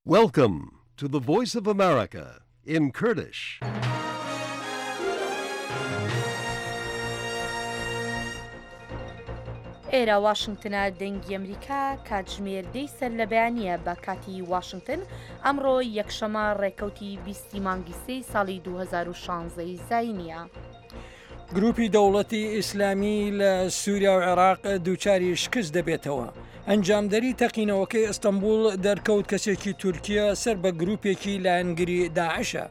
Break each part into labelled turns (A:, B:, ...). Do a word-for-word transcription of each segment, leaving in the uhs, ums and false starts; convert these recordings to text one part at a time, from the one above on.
A: Welcome to the Voice of America in Kurdish.
B: ئێرە واشنگتنە دەنگی ئەمریکا کاتژمێر دەی سەر لە بەیانییە بە کاتی واشنگتن ئەمڕۆ یەکشەمە ڕێکەوتی بیستی مانگی سێی ساڵی دوو هەزار و شازدە ی زاینییە.
C: گروپی دەوڵەتی ئیسلامی لە سووریا و عێراق دووچاری شکست دەبێتەوە. ئەنجامدەری تەقینەوەکەی ئەستەنبوڵ دەرکەوت کەسێکی تورکیە سەر بە گروپێکی لایەنگری داعشە.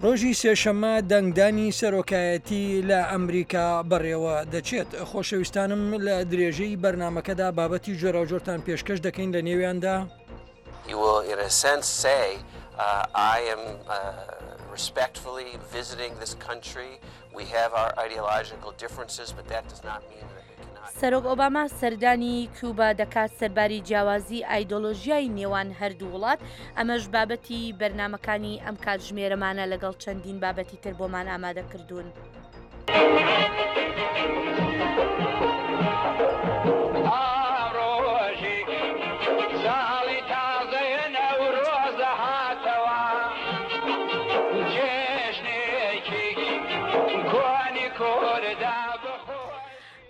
C: ڕۆژی سێشەممە دەنگدانی سەرۆکایەتی لە ئەمریکا بەڕێوە دەچێت. خۆشەویستانم لە درێژەی بەرنامەکەدا بابەتی جۆراوجۆرتان پێشکەش دەکەین لە نێویاندا.
D: He will in a sense say I am respectfully visiting this country, we have our ideological differences but that does not mean that we cannot.
B: سەرۆک ئۆباما سەردانی کوبا دەکات سەرباری جیاوازی ئایدۆلۆژیای نێوان هەردوو وڵات، ئەمەش بابەتی بەرنامەکانی ئەم کاتژمێرەمانە لەگەڵ چەندین بابەتی تر بۆمان ئامادە کردوون.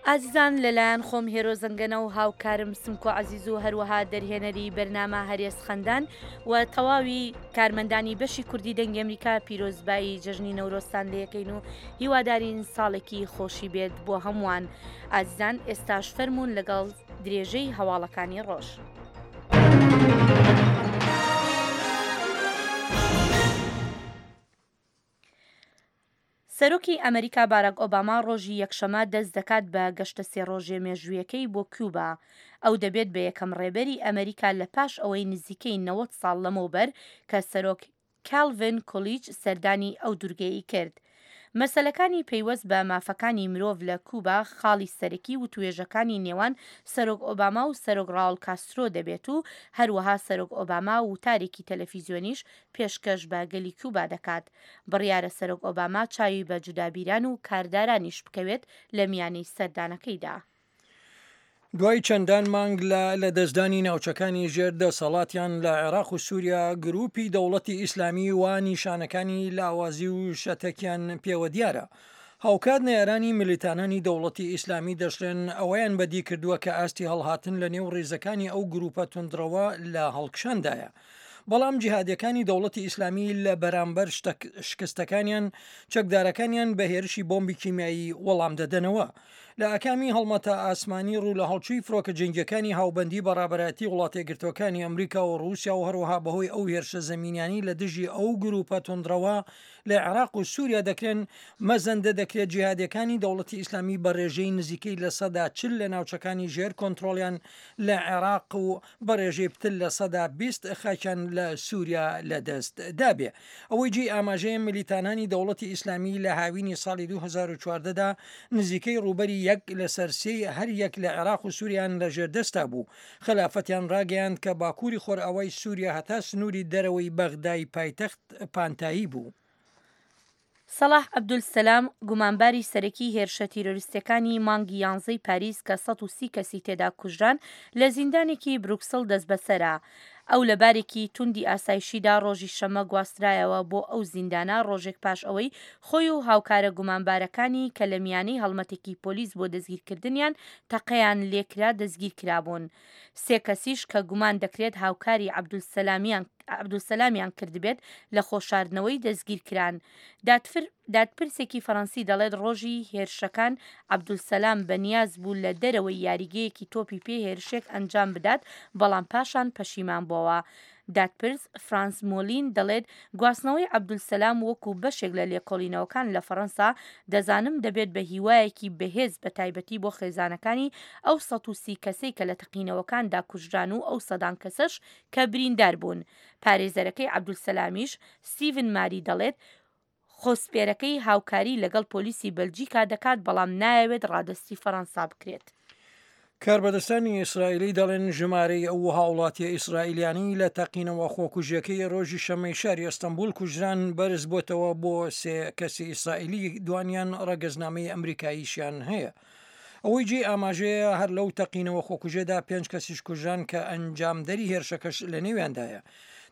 B: ئازیزان لەلایەن خۆم هێرۆ زەنگەنە و هاوکارم سمکۆ عەزیز و هەروەها دەرهێنەری بەرنامە هەرێز خەندان و تەواوی کارمەندانی بەشی کوردی دەنگی ئەمریکا پیرۆزبایی جەژنی نەورۆزتان لێکەین و هیوادارین ساڵێکی خۆشی بێت بۆ هەمووان. ئازیزان ئێستاش فەرموون لەگەڵ درێژەی هەواڵەکانی ڕۆژ. سەرۆکی ئەمریکا باراک ئۆباما ڕۆژی یەکشەمە دەست دەکات بە گەشتە سێ ڕۆژێ مێژوویەکەی بۆ کوبا. ئەو دەبێت بە یەکەم ڕێبەری ئەمریکا لە پاش ئەوەی نزیکەی نەوەد ساڵ لەمەوبەر کە سەرۆک کالڤن کولیج سەردانی ئەو دوورگەیەی کرد. مەسەلەکانی پەیوەست بە مافەکانی مرۆڤ لە کوبا خاڵی سەرەکی وتوێژەکانی نێوان سەرۆک ئۆباما و سەرۆک ڕاوڵ کاسترۆ دەبێت و هەروەها سەرۆک ئۆباما وتارێکی تەلەفیزیۆنیش پێشکەش بە گەلی کوبا دەکات. بڕیارە سەرۆک ئۆباما چاوی بە جودابیران و کاردارانیش بکەوێت لە میانەی سەردانەکەیدا.
C: دوای چەندان مانگ لە لەدەستدانی ناوچەکانی ژێر دەسەڵاتیان لە عێراق و سووریا، گروپی دەوڵەتی ئیسلامی وا نیشانەکانی لاوازی و شەتەکیان پێوە دیارە. هاوکات نەیارانی ملیتانانی دەوڵەتی ئیسلامی دەشڵێن ئەوەیان بەدی کردووە کە ئاستی هەڵهاتن لە نێو ڕیزەکانی ئەو گروپە توندڕەوە لە هەڵکشاندایە. بەڵام جیهادیەکانی دەوڵەتی ئیسلامی لە بەرامبەر شکستەکانیان چەکدارەکانیان بە هێرشی بۆمبی کیمیایی وەڵام دەدەنەوە. لە ئاکامی هەڵمەتە ئاسمانی ڕوو لە هەڵچووی فڕۆکە جەنگیەکانی هاوبەندی بە ڕابەرایەتی وڵاتەیەکگرتووەکانی ئەمریکا و ڕووسیا و هەروەها بەهۆی ئەو هێرشە زەمینیانەی لە دژی ئەو گروپە توندڕەوە لە عێراق و سووریا دەکرێن، مەزەندە دەکرێت جیهادیەکانی دەوڵەتی ئیسلامی بە ڕێژەی نزیکەی لە سەدا چل لە ناوچەکانی ژێر کۆنترۆڵیان لە عێراق و بە ڕێژەی پتر لە سەدا بیست خاکیان لە سووریا لەدەست دابێ. ئەوەی جێی ئاماژەیە ملیتانانی دەوڵەتی ئیسلامی لە هاوینی ساڵی دوو هەزار و چواردە دا نزیکەی ڕووبەری یەک لەسەر سێی هەر یەک لە عێراق و سووریان لە ژێر دەستا بوو. خەلافەتیان ڕاگەیاند کە باکووری خۆرئاوای سووریا هەتا سنووری دەرەوەی بەغدای پایتەخت پانتایی بوو.
B: سەڵاح عەبدولسەلام، گومانباری سەرەکی هێرشە تیرۆریستیەکانی مانگی یانزەی پاریس کە سەد و سی کەسی تێدا کوژران، لە زیندانێکی بروکسڵ دەستبەسەرە. ئەو لە بارێکی توندی ئاسایشیدا ڕۆژی شەممە گواسترایەوە بۆ ئەو زیندانە ڕۆژێک پاش ئەوەی خۆی و هاوکارە گومانبارەکانی کە لە میانەی هەڵمەتێکی پۆلیس بۆ دەستگیرکردنیان تەقەیان لێکرا دەستگیرکرابوون. سێ کەسیش کە گومان دەکرێت هاوکاری عەبدولسەلامیان کردبێت لە خۆشاردنەوەی دەستگیرکران. دادپرسێکی فەرەنسی دەڵێت ڕۆژی هێرشەکان عەبدولسەلام بەنیاز بوو لە دەرەوەی یاریگەیەکی تۆپی پێ هێرشێک ئەنجام بدات بەڵام پاشان پەشیمان بۆوە. دادپرس فرانس مۆلین دەڵێت گواستنەوەی عەبدولسەلام وەکو بەشێک لە لێکۆڵینەوەکان لە فەرەنسا دەزانم دەبێت بە هیوایەکی بەهێز بەتایبەتی بۆ خێزانەکانی ئەو سەد و سی کەسەی کە لە تەقینەوەکاندا کوژران و ئەو سەدان کەسەش کە بریندار بوون. پارێزەرەکەی عەبدولسەلامیش ستیڤن ماری دەڵێت خۆسپێرەکەی هاوکاری لەگەڵ پۆلیسی بەلجیکا دەکات بەڵام نایەوێت ڕادەستی فەرەنسا بکرێت.
C: کاربەدەستانی ئیسرائیلی دەڵێن ژمارەی ئەو هاوڵاتیە ئیسرائیلیانەی لە تەقینەوە خۆکوژیەکەی ڕۆژی شەمەی شاری ئەستەنبوڵ کوژران بەرز بۆتەوە بۆ سێ کەسی ئیسرائیلی، دوانیان ڕەگەزنامەی ئەمریکاییشیان هەیە. ئەوەی جێی ئاماژەیە هەر لەو تەقینەوە خۆکوژێدا پێنج کەسیش کوژران کە ئەنجامدەری هێرشەکەش لە نێویاندایە.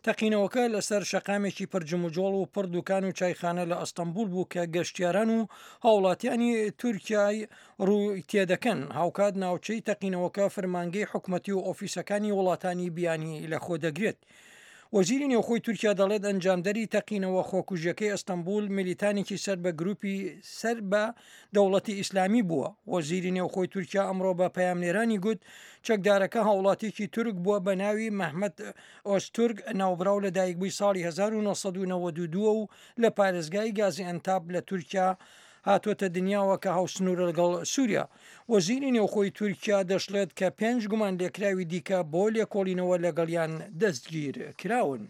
C: تەقینەوەکە لەسەر شەقامێکی پڕ جموجۆڵ و پڕ دوکان و چایخانە لە ئەستەنبوڵ بوو کە گەشتیاران و هاوڵاتیانی تورکیای ڕووی تێدەکەن. هاوکات ناوچەی تەقینەوەکە فەرمانگەی حکومەتی و ئۆفیسەکانی وڵاتانی بیانی لەخۆ دەگرێت. وەزیری نێوخۆی تورکیا دەڵێت ئەنجامدەری تەقینەوە خۆکوژیەکەی ئەستەنبوڵ میلیتانێکی سەر بە گروپی سەر بە دەوڵەتی ئیسلامی بووە. وەزیری نێوخۆی تورکیا ئەمڕۆ بە پەیامنێرانی گوت چەکدارەکە هاوڵاتیەکی تورک بووە بە ناوی مەحمەد ئۆزتورک، ناوبراو لە دایکبووی ساڵی هەزار و نۆ سەد و نەوەد و دوو و لە پارێزگای گازی ئەنتاب لە تورکیا هاتووەتە دنیاوە کە هاوسنوورە لەگەڵ سووریا. وەزیری نێوخۆی تورکیا دەشڵێت کە پێنج گومان لێکراوی دیکە بۆ لێکۆڵینەوە لەگەڵیان دەستگیر کراون.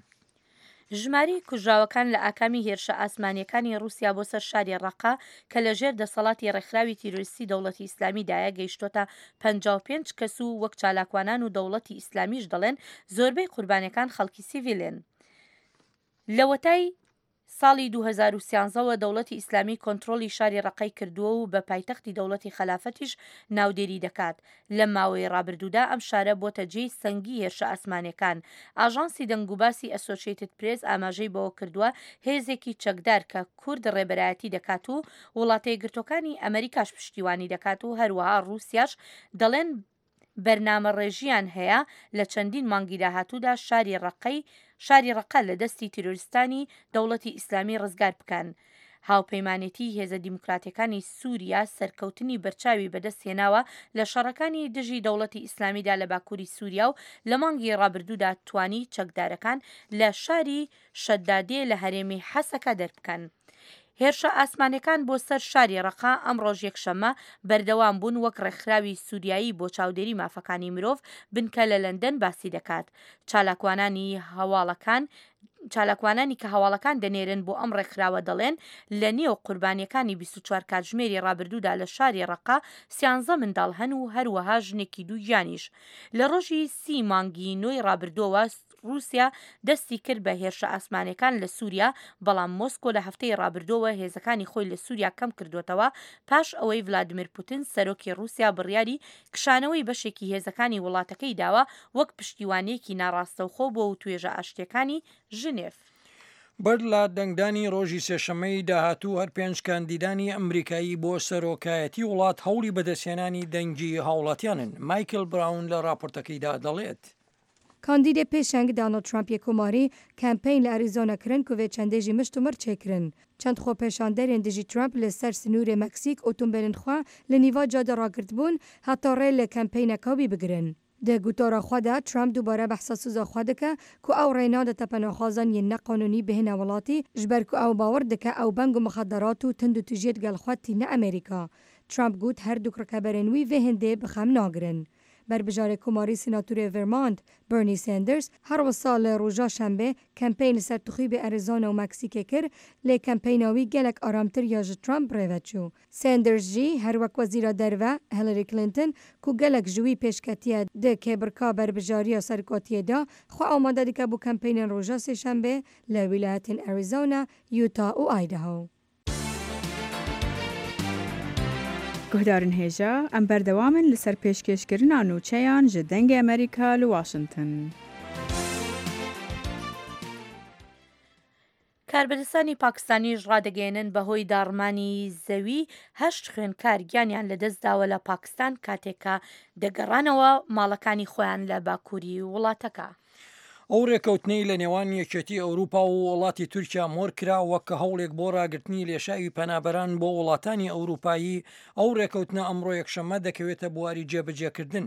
B: ژمارەی کوژراوەکان لە ئاکامی هێرشە ئاسمانیەکانی ڕووسیا بۆ سەر شاری ڕەقە کە لە ژێر دەسەڵاتی ڕێکخراوی تیرۆریستی دەوڵەتی ئیسلامیدایە گەیشتۆتە پەنجا و پێنج کەس و وەک چالاکوانان و دەوڵەتی ئیسلامیش دەڵێن زۆربەی قوربانیەکان خەڵکی سیڤیلن. لەوەتای ساڵی دوو هەزار و سیانزەوە دەوڵەتی ئیسلامی کۆنترۆڵی شاری ڕەقەی کردووە و بە پایتەختی دەوڵەتی خەلافەتیش ناودێری دەکات. لە ماوەی ڕابردوودا ئەم شارە بۆتە جێی سەنگی هێرشە ئاسمانیەکان. ئاژانسی دەنگوباسی ئەسۆشیتد پرێس ئاماژەی بەوە کردووە هێزێکی چەکدار کە کورد ڕێبەرایەتی دەکات و وڵاتە یەکگرتووەکانی ئەمریکاش پشتیوانی دەکات و هەروەها ڕووسیاش دەڵێن بەرنامە ڕێژیان هەیە لە چەندین مانگی داهاتوودا شاری ڕەقەی شاری ڕەقە لە دەستی تیرۆریستانی دەوڵەتی ئیسلامی ڕزگار بکەن. هاوپەیمانێتی هێزە دیموکراتیەکانی سووریا سەرکەوتنی بەرچاوی بەدەستهێناوە لە شەڕەکانی دژی دەوڵەتی ئیسلامیدا لە باکووری سووریا و لە مانگی ڕابردوودا توانی چەکدارەکان لە شاری شەدادێ لە هەرێمی حەسەکە دەربکەن. هێرشە ئاسمانەکان بۆ سەر شاری ڕەقە ئەمڕۆژ یەکشەممە بەردەوام بوون وەک ڕێکخراوی سووریایی بۆ چاودێری مافەکانی مرۆڤ بنکە لە لەندەن باسی دەکات. چالاکوانانی هەواڵەکان چالاکوانانی کە هەواڵەکان دەنێرن بۆ ئەم ڕێکخراوە دەڵێن لە نێو قوربانیەکانی بیست و چوار کاتژمێری ڕابردوودا لە شاری ڕەقە سیانزە منداڵ هەن و هەروەها ژنێکی دووگیانیش. لە ڕۆژی سی مانگی نۆی ڕابردووەوە ڕووسیا دەستی کرد بە هێرشە ئاسمانەکان لە سووریا، بەڵام مۆسکۆ لە هەفتەی ڕابردووەوە هێزەکانی خۆی لە سووریا کەم کردوێتەوە پاش ئەوەی ڤلادیمیر پوتین سەرۆکی ڕووسیا بڕیاری کشانەوەی بەشێکی هێزەکانی وڵاتەکەی داوە وەک پشتیوانیەکی ناڕاستەوخۆ بۆ وتوێژە ئاشتیەکانی ژنێف.
C: بەر لە دەنگدانی ڕۆژی سێشەممەی داهاتوو هەر پێنج کاندیدانی ئەمریکایی بۆ سەرۆکایەتی وڵات هەوڵی بەدەستهێنانی دەنگی هاوڵاتیانن. مایکل براون لە راپۆرتەکەیدا دەڵێت.
E: کاندیدێ پێشەنگ داناڵد ترامپ یê کۆماری کەمپەین لە ئەریزۆنا kirin ku vê çendê jî mişt û mir çêkirin. Çend xwepêşanderên dijî Trump li ser sinûrê Meksîk otomobîlên xwe li nîva cada ragirtbûn heta rê li kempeyna wî bigirin. Di gotara xwe de Trump dubare behsa soza xwe dike ku ew rê nade penaxwazan yên neqanûnî bihêne welatî ji ber ku ew bawer dike ew beng û mixadderat û tund û tûjiyê gel xwe tîne Amerîka. Trump got her du rikeberên wî vê hindê bi xem nagirin. Berbijarê Komarî Senatorê Vermont Bernie Sanders her wisa li roja şembê kempeyn li ser tuxîbê Arizona û Meksîkê kir lê kempeyna wî gelek aramtir ya ji Trump rêve çû. Sanders jî her wek wezîra derve Hillary Clinton ku gelek ji wî pêşketiye di kêbirka berbijariya serokatiyê de xwe amade dike bo kempeynên roja sêşembê li wîlayetên Arizona, Utah û Idaho.
F: Guhdarên hêja em berdewam in li ser pêşkêşkirina nûçeyan ji Dengê Amerîka li Washington.
B: کاربەدەستانی پاکستانیش ڕادەگەیەنن بەهۆی داڕمانی زەوی هەشت خوێندکار گیانیان لەدەستداوە لە پاکستان کاتێکە دەگەڕانەوە ماڵەکانی خۆیان لە باکووری وڵاتەکە.
C: ئەو ڕێکەوتنەی لە نێوان یەکێتی ئەوروپا و وڵاتی تورکیا مۆر کرا وەک هەوڵێک بۆ ڕاگرتنی لێشاوی پەنابەران بۆ وڵاتانی ئەوروپایی، ئەو ڕێکەوتنە ئەمڕۆ یەکشەممە دەکەوێتە بواری جێبەجێکردن.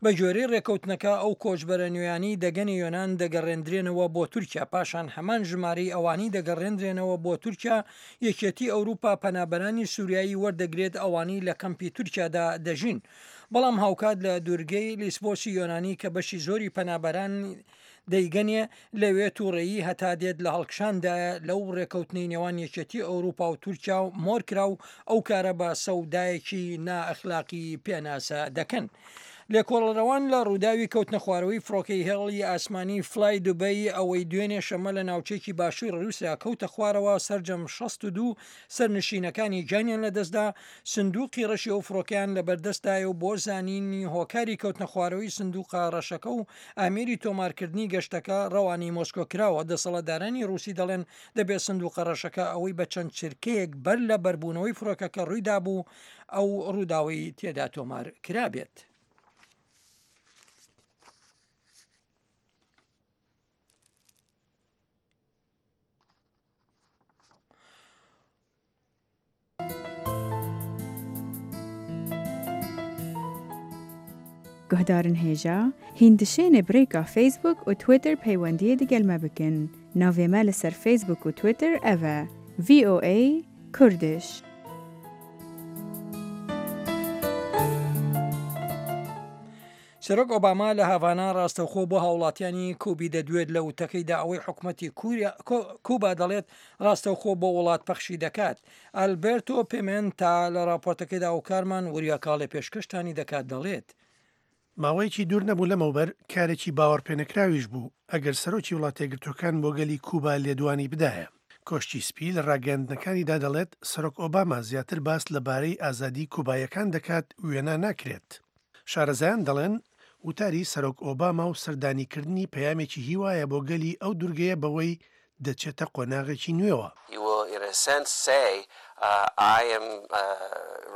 C: بە گوێرەی ڕێکەوتنەکە ئەو کۆچبەرە نوێیانی دەگەنی یۆناان دەگەڕێندرێنەوە بۆ تورکیا، پاشان هەمان ژمارەی ئەوانی دەگەڕێندرێنەوە بۆ تورکیا. یەکێتی ئەوروپا پەنابەرانی سووریایی وەردەگرێت ئەوانی لە کەمپی تورکیادا دەژین. بەڵام هاوکات لە دوورگەی لیسبۆسی یۆنانی کە بەشی زۆری پەنابەران دەیگەنێ لەوێ تووڕێیی هەتا دێت لە هەڵکشاندایە لەو ڕێکەوتنەی نێوان یەکێتی ئەوروپا و تورکیا و مۆرکرا و ئەو کارە بە سەودایەکی نائەخلاقی پێناسە دەکەن. لێکۆڵەرەوان لە ڕووداوی کەوتنەخوارەوەی فڕۆکەی هێڵی ئاسمانی فلای دوبەی ئەوەی دوێنێ شەممە لە ناوچەیەکی باشووری ڕووسیا کەوتە خوارەوە سەرجەم شەست و دوو سەرنشینەکانی گیانیان لەدەستدا، سندوقی ڕەشی ئەو فڕۆکەیان لەبەردەستدایە و بۆ زانینی هۆکاری کەوتنەخوارەوەی سندوقە ڕەشەکە و ئامێری تۆمارکردنی گەشتەکە ڕەوانەی مۆسکۆ کراوە، دەسەڵاتدارانی ڕووسی دەڵێن دەبێت سندوقە ڕەشەکە ئەوەی بە چەند چرکەیەک بەر لە بەربوونەوەی فڕۆکەکە ڕوویدابوو ئەو ڕووداوەی تێدا تۆمار کرابێت.
F: Guhdarên hêja, hîn dişêne bi rêka Facebook û Twitter peywendiyê digel me bikin. Navê me li ser Facebook û Twitter ev e: V O A Kurdish.
C: سەرۆک ئۆباما لە هاڤانا ڕاستەوخۆ بۆ هاوڵاتیانی کوبی دەدوێت لە وتەکەیدا ئەوەی حکومەتی کوبا دەڵێت ڕاستەوخۆ بۆ وڵات پەخشی دەکات. ئەلبێرتۆ پێمێنتا لە ڕاپۆرتەکەیدا ئەوکارمان وریا کاڵێ پێشکەشتانی دەکات دەڵێت
G: ماوەیەکی دوور نەبوو لەمەوبەر کارێکی باوەڕپێنەکراویش بوو ئەگەر سەرۆکی وڵاتیەکگرتووەکان بۆ گەلی کوبا لێدوانی بدایە. کۆشکی سپی لە ڕاگەیاندنەکانیدا دەڵێت سەرۆک ئۆباما زیاتر باس لەبارەی ئازادی کوبایەکان دەکات وێنا ناکرێت. شارەزایان دەڵێن وتاری سەرۆک ئۆباما و سەردانیکردنی پەیامێکی هیوایە بۆ گەلی ئەو دوورگەیە بەوەی دەچێتە قۆناغێکی نوێوە.
D: He will in a sense say uh, I am uh,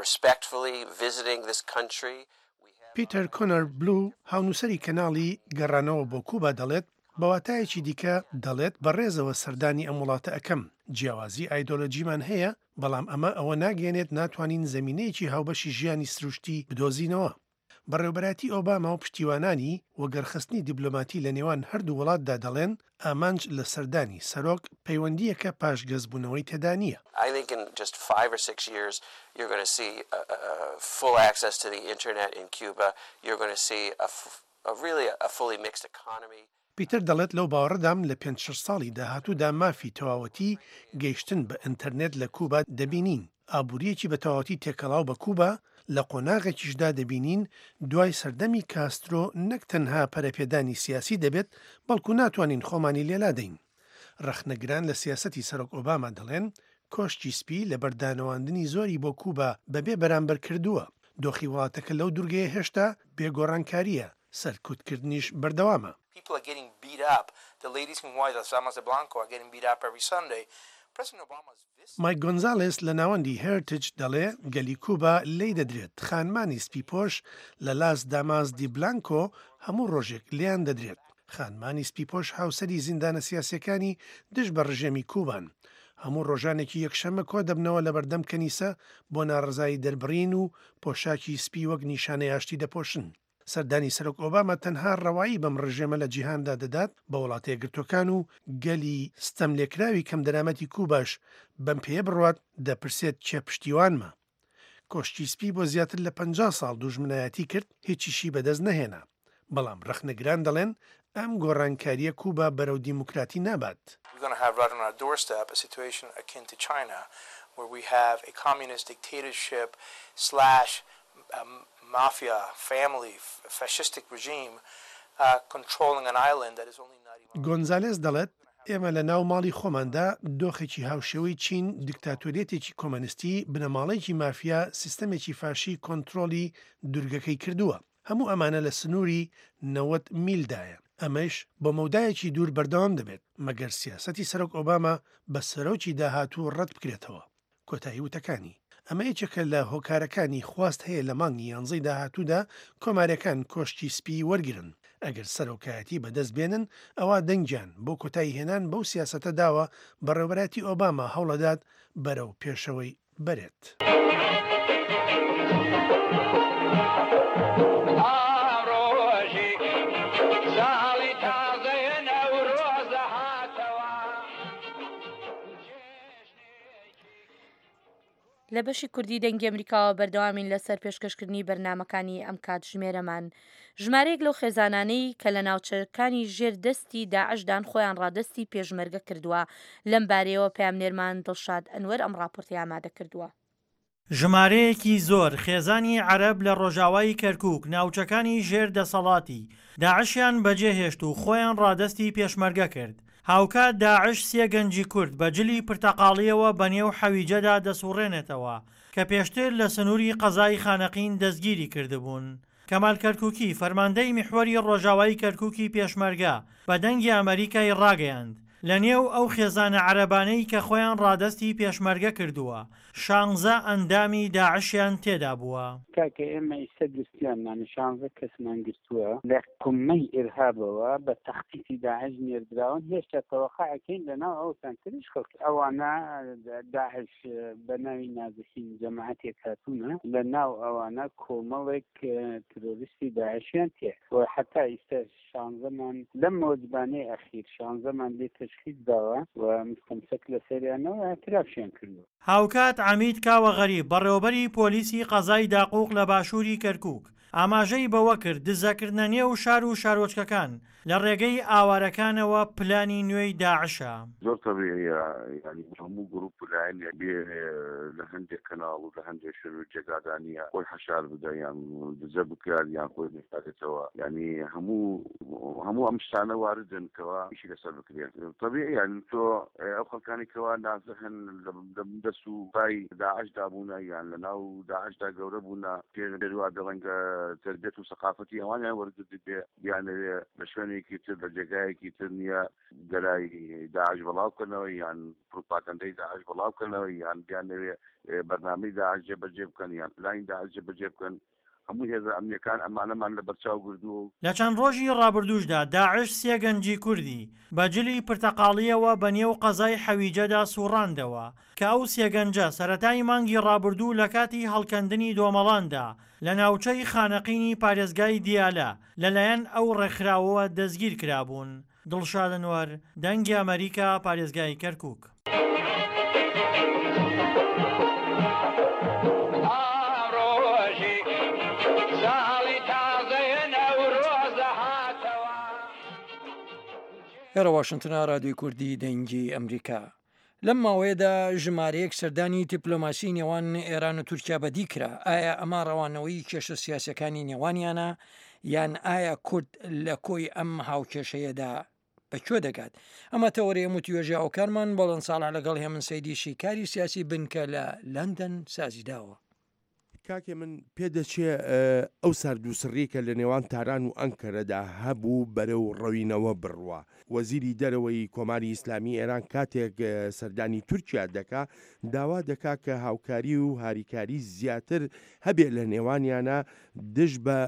D: respectfully visiting this country.
G: پیتەر کۆنەر بلو هاونووسەری کەناڵی گەڕانەوە بۆ کوبا دەڵێت بە واتایەکی دیکە دەڵێت بەڕێزەوە سەردانی ئەم وڵاتە ئەکەم. جیاوازی ئایدۆلۆژیمان هەیە، بەڵام ئەمە ئەوە ناگەێنێت ناتوانین زمینەیەکی هاوبەشی ژیانی سروشتی بدۆزینەوە. بەڕێوبەرایەتی ئۆباما و پشتیوانانی وەگەرخستنی دیبلۆماتی لە نێوان هەردوو وڵاتدا دەڵێن ئامانج لە سەردانی سەرۆک پەیوەندیەکە پاشگەزبوونەوەی تێدا نییە.
D: I think in just five or six years you're going to see uh, uh, full access to the internet in Cuba. You're going to see a, a really a fully mixed economy.
G: پیتەر دەڵێت لەو باوەڕدام لە پێنج شەش ساڵی داهاتوودا مافی تەواوەتی گەیشتن بە ئینتەرنێت لە کوبا دەبینین. ئابووریەکی بە تەواوەتی تێکەڵاو بە کوبا لە قۆناغێکیشدا دەبینین دوای سەردەمی کاسترۆ نەک تەنها پەرەپێدانی سیاسی دەبێت، بەڵکو ناتوانین خۆمانی لێلادەین. ڕەخنەگران لە سیاسەتی سەرۆک ئۆباما دەڵێن کۆشکی سپی لە بەردانەواندنی زۆری بۆ کوبا بەبێ بەرامبەر کردووە. دۆخی وڵاتەکە لەو دوورگەیە هێشتا بێگۆڕانکاریە، سەرکوتکردنیش بەردەوامە.
H: People are getting beat up. The ladies in white, las Damas de Blanco, are getting beat up every Sunday. President Obama's visit
G: مایک گۆنزالێس لە ناوەندی هێرتج دەڵێ گەلی کوبا لێی دەدرێت. خانمانی سپیپۆش لە لاس داماس دی بلانکۆ هەموو ڕۆژێک لێیان دەدرێت. خانمانی سپیپۆش هاوسەری زیندانە سیاسیەکانی دژ بە ڕژێمی کوبان. هەموو ڕۆژانێکی یەکشەممە کۆ دەبنەوە لە بەردەم کەنیسە بۆ ناڕەزایی دەربڕین و پۆشاکی سپی وەک نیشانەی ئاشتی دەپۆشن. سەردانی سەرۆک ئۆباما تەنها ڕەوایی بەم ڕژێمە لە جیهاندا دەدات بە وڵاتە یەکگرتووەکان و گەلی ستەملێکراوی کەم دەرامەتی کوباش بەم پێیە بڕوات دەپرسێت کێ پشتیوانمە. کۆشکی سپی بۆ زیاتر لە پەنجا ساڵ دوژمنایەتی کرد، هیچیشی بەدەست نەهێنا. بەڵام ڕەخنەگران دەڵێن ئەم گۆڕانکاریە کوبا بەرەو دیموکراتی نابات.
H: We're going to have right on our doorstep a situation akin to China, where we have a communist dictatorship slash um, mafia family fascistic regime uh, controlling an island that is only ninety miles.
G: گۆنزالێس دەڵێت ئێمە لە ناو ماڵی خۆماندا دۆخێکی هاوشێوەی چین، دیکتاتۆریەتێکی کۆمەنیستی، بنەماڵەیەکی مافیا، سیستەمێکی فاشی کۆنترۆڵی دوورگەکەی کردووە. هەموو ئەمانە لە سنووری نەوەد میلدایە. ئەمەش بۆ مەودایەکی دوور بەردەوام دەبێت، مەگەر سیاسەتی سەرۆک ئۆباما بە سەرۆکی داهاتوو ڕەت بکرێتەوە. کۆتایی وتەکانی. ئەمە یەکێکە لە هۆکارەکانی خواست هەیە لە مانگی یانزەی داهاتوودا کۆماریەکان کۆشکی سپی وەرگرن. ئەگەر سەرۆکایەتی بەدەست بێنن ئەوە دەنگیان بۆ کۆتایی هێنان بەو سیاسەتە داوە بەڕێوەبەرایەتی ئۆباما هەوڵەدات بەرەو پێشەوەی بەرێت.
B: لە بەشی کوردی دەنگی ئەمریکاوە بەردەوامین لەسەر پێشکەشکردنی بەرنامەکانی ئەم کاتژمێرەمان. ژمارەیەک لەو خێزانانەی کە لە ناوچەکانی ژێر دەستی داعشدان خۆیان ڕادەستی پێشمەرگە کردووە. لەم بارەیەوە پەیامنێرمان دڵشاد ئەنوەر ئەم ڕاپۆرتی ئامادە کردووە.
I: ژمارەیەکی زۆر خێزانی عەرەب لە ڕۆژاوای کەرکوک ناوچەکانی ژێر دەسەڵاتی داعشیان بەجێهێشت و خۆیان ڕادەستی پێشمەرگە کرد. هاوکات داعش سێ گەنجی کورد بە جلی پرتەقاڵییەوە بەنێو حەویجەدا دەسوڕێنێتەوە کە پێشتر لە سنووری قەزای خانەقین دەستگیری کردبوون. کەمال کەرکوکی، فەرماندەی میحوەری ڕۆژاوای کەرکوکی پێشمەرگە بە دەنگی ئەمەریکای ڕاگەیاند، لە نێو ئەو خێزانە عەرەبانەی کە خۆیان ڕادەستی پێشمەرگە کردووە، شانزە ئەندامی داعشیان تێدا بووە.
J: کاکە ئێمە ئیستە گرتویانمان شانزە کەسمان گرتووە لە قمەی ئیرهابەوە بە تەختیتی داعش نێردراون، هێشتا تەوەقع ئەکەین لەناو ئەو سەنتەریش خەڵک ئەوانە داعش بە ناوی نازحین جەماعەتێک هاتوونە، لە ناو ئەوانە کۆمەڵێک ترۆریستی داعشیان تێ و حتا ئیستا شانزەمان لەم وەجبانەی ئەخیر شانزەمان لێ تەشخیص داوە و مستەمسەک لەسەریانەوە اعترافیان کردووە.
I: هاوکات عەمید کاوە غەریب، بەڕێوەبەری پۆلیسی قەزای داقوق لە باشووری کەرکووک، ئاماژەی بەوە کرد، دزەکردنە نێو شار و شارۆچکەکان لە ڕێگەی ئاوارەکانەوە پلانی نوێی داعشە.
K: زۆر تەبیعیە یانی هەموو گروپ و لایەنێک بێ لە هەندێک کەناڵ و لە هەندێک شوێن و جێگادا نییە خۆی حەشار بدا یان دزە بکات یان خۆی بشارێتەوە، یانی هەموو هەموو ئەم شتانە واردن کەوا ئیشی لەسەر بکرێت. تەبیعی یانی تۆ ئەو خەڵکانی کەوا نازحن لە دەست و پای داعشدا بوونە یان لە ناو داعشدا گەورە بوونە، پێ وا بێ ڕەنگە تەربیەت و سەقافەتی ئەوانیان وەرگرتبێ، بیانەوێ لە شوێنێکی تر لە جێگایەکی تر نییە گەلای داعش بەڵاو بکەنەوە یان پروپاگەندەی داعش بەڵاو بکەنەوە یان بیانەوێ بەرنامەی داعش جێبەجێ بکەن یان پلانی داعش جێبەجێ بکەن. هەموو هێزە ئەمنیەکان ئەمانەمان لە بەرچاو گردووە.
I: لە چەند ڕۆژی ڕابردووشدا داعش سێ گەنجی کوردی بە جلی پرتەقاڵییەوە بە نێو قەزای حەویجەدا سوڕاندەوە کە ئەو سێ گەنجە سەرەتای مانگی ڕابردوو لە کاتی هەڵکەندنی دۆمەڵاندا لە ناوچەی خانەقینی پارێزگای دیالە لەلایەن ئەو ڕێکخراوەوە دەستگیر کرابوون. دڵشاد ئەنوەر، دەنگی ئەمەریکا، پارێزگای کەرکوک.
C: ئێرە واشنتنە، رادیۆی کوردی دەنگی ئەمریکا. لەم ماوەیەدا ژمارەیەک سەردانی دیپلۆماسی نێوان ئێران و تورکیا بەدی کرا، ئایا ئەمە ڕەوانەوەی کێشە سیاسەکانی نێوانیانە یان ئایا کورد لە کۆی ئەم هاوکێشەیەدا بە کوێ دەگات؟ ئەمە تەوەرەی ئەم وتوێژی هاوکارمان بەڵێن ساڵح لەگەڵ هێمن سەیدی شیکاری سیاسی بنکە لە لەندەن سازیداوە.
L: کاکێ من پێدەچێ ئەو ساردوسڕیەی کە لە نێوان تاران و ئەنکەرەدا هەبوو بەرەو ڕەوینەوە بڕوا. وەزیری دەرەوەی کۆماری ئیسلامی ئێران کاتێک سەردانی تورکیا دەکا داوا دەکا کە هاوکاری و هاریکاری زیاتر هەبێ لە نێوانیانا دژ بە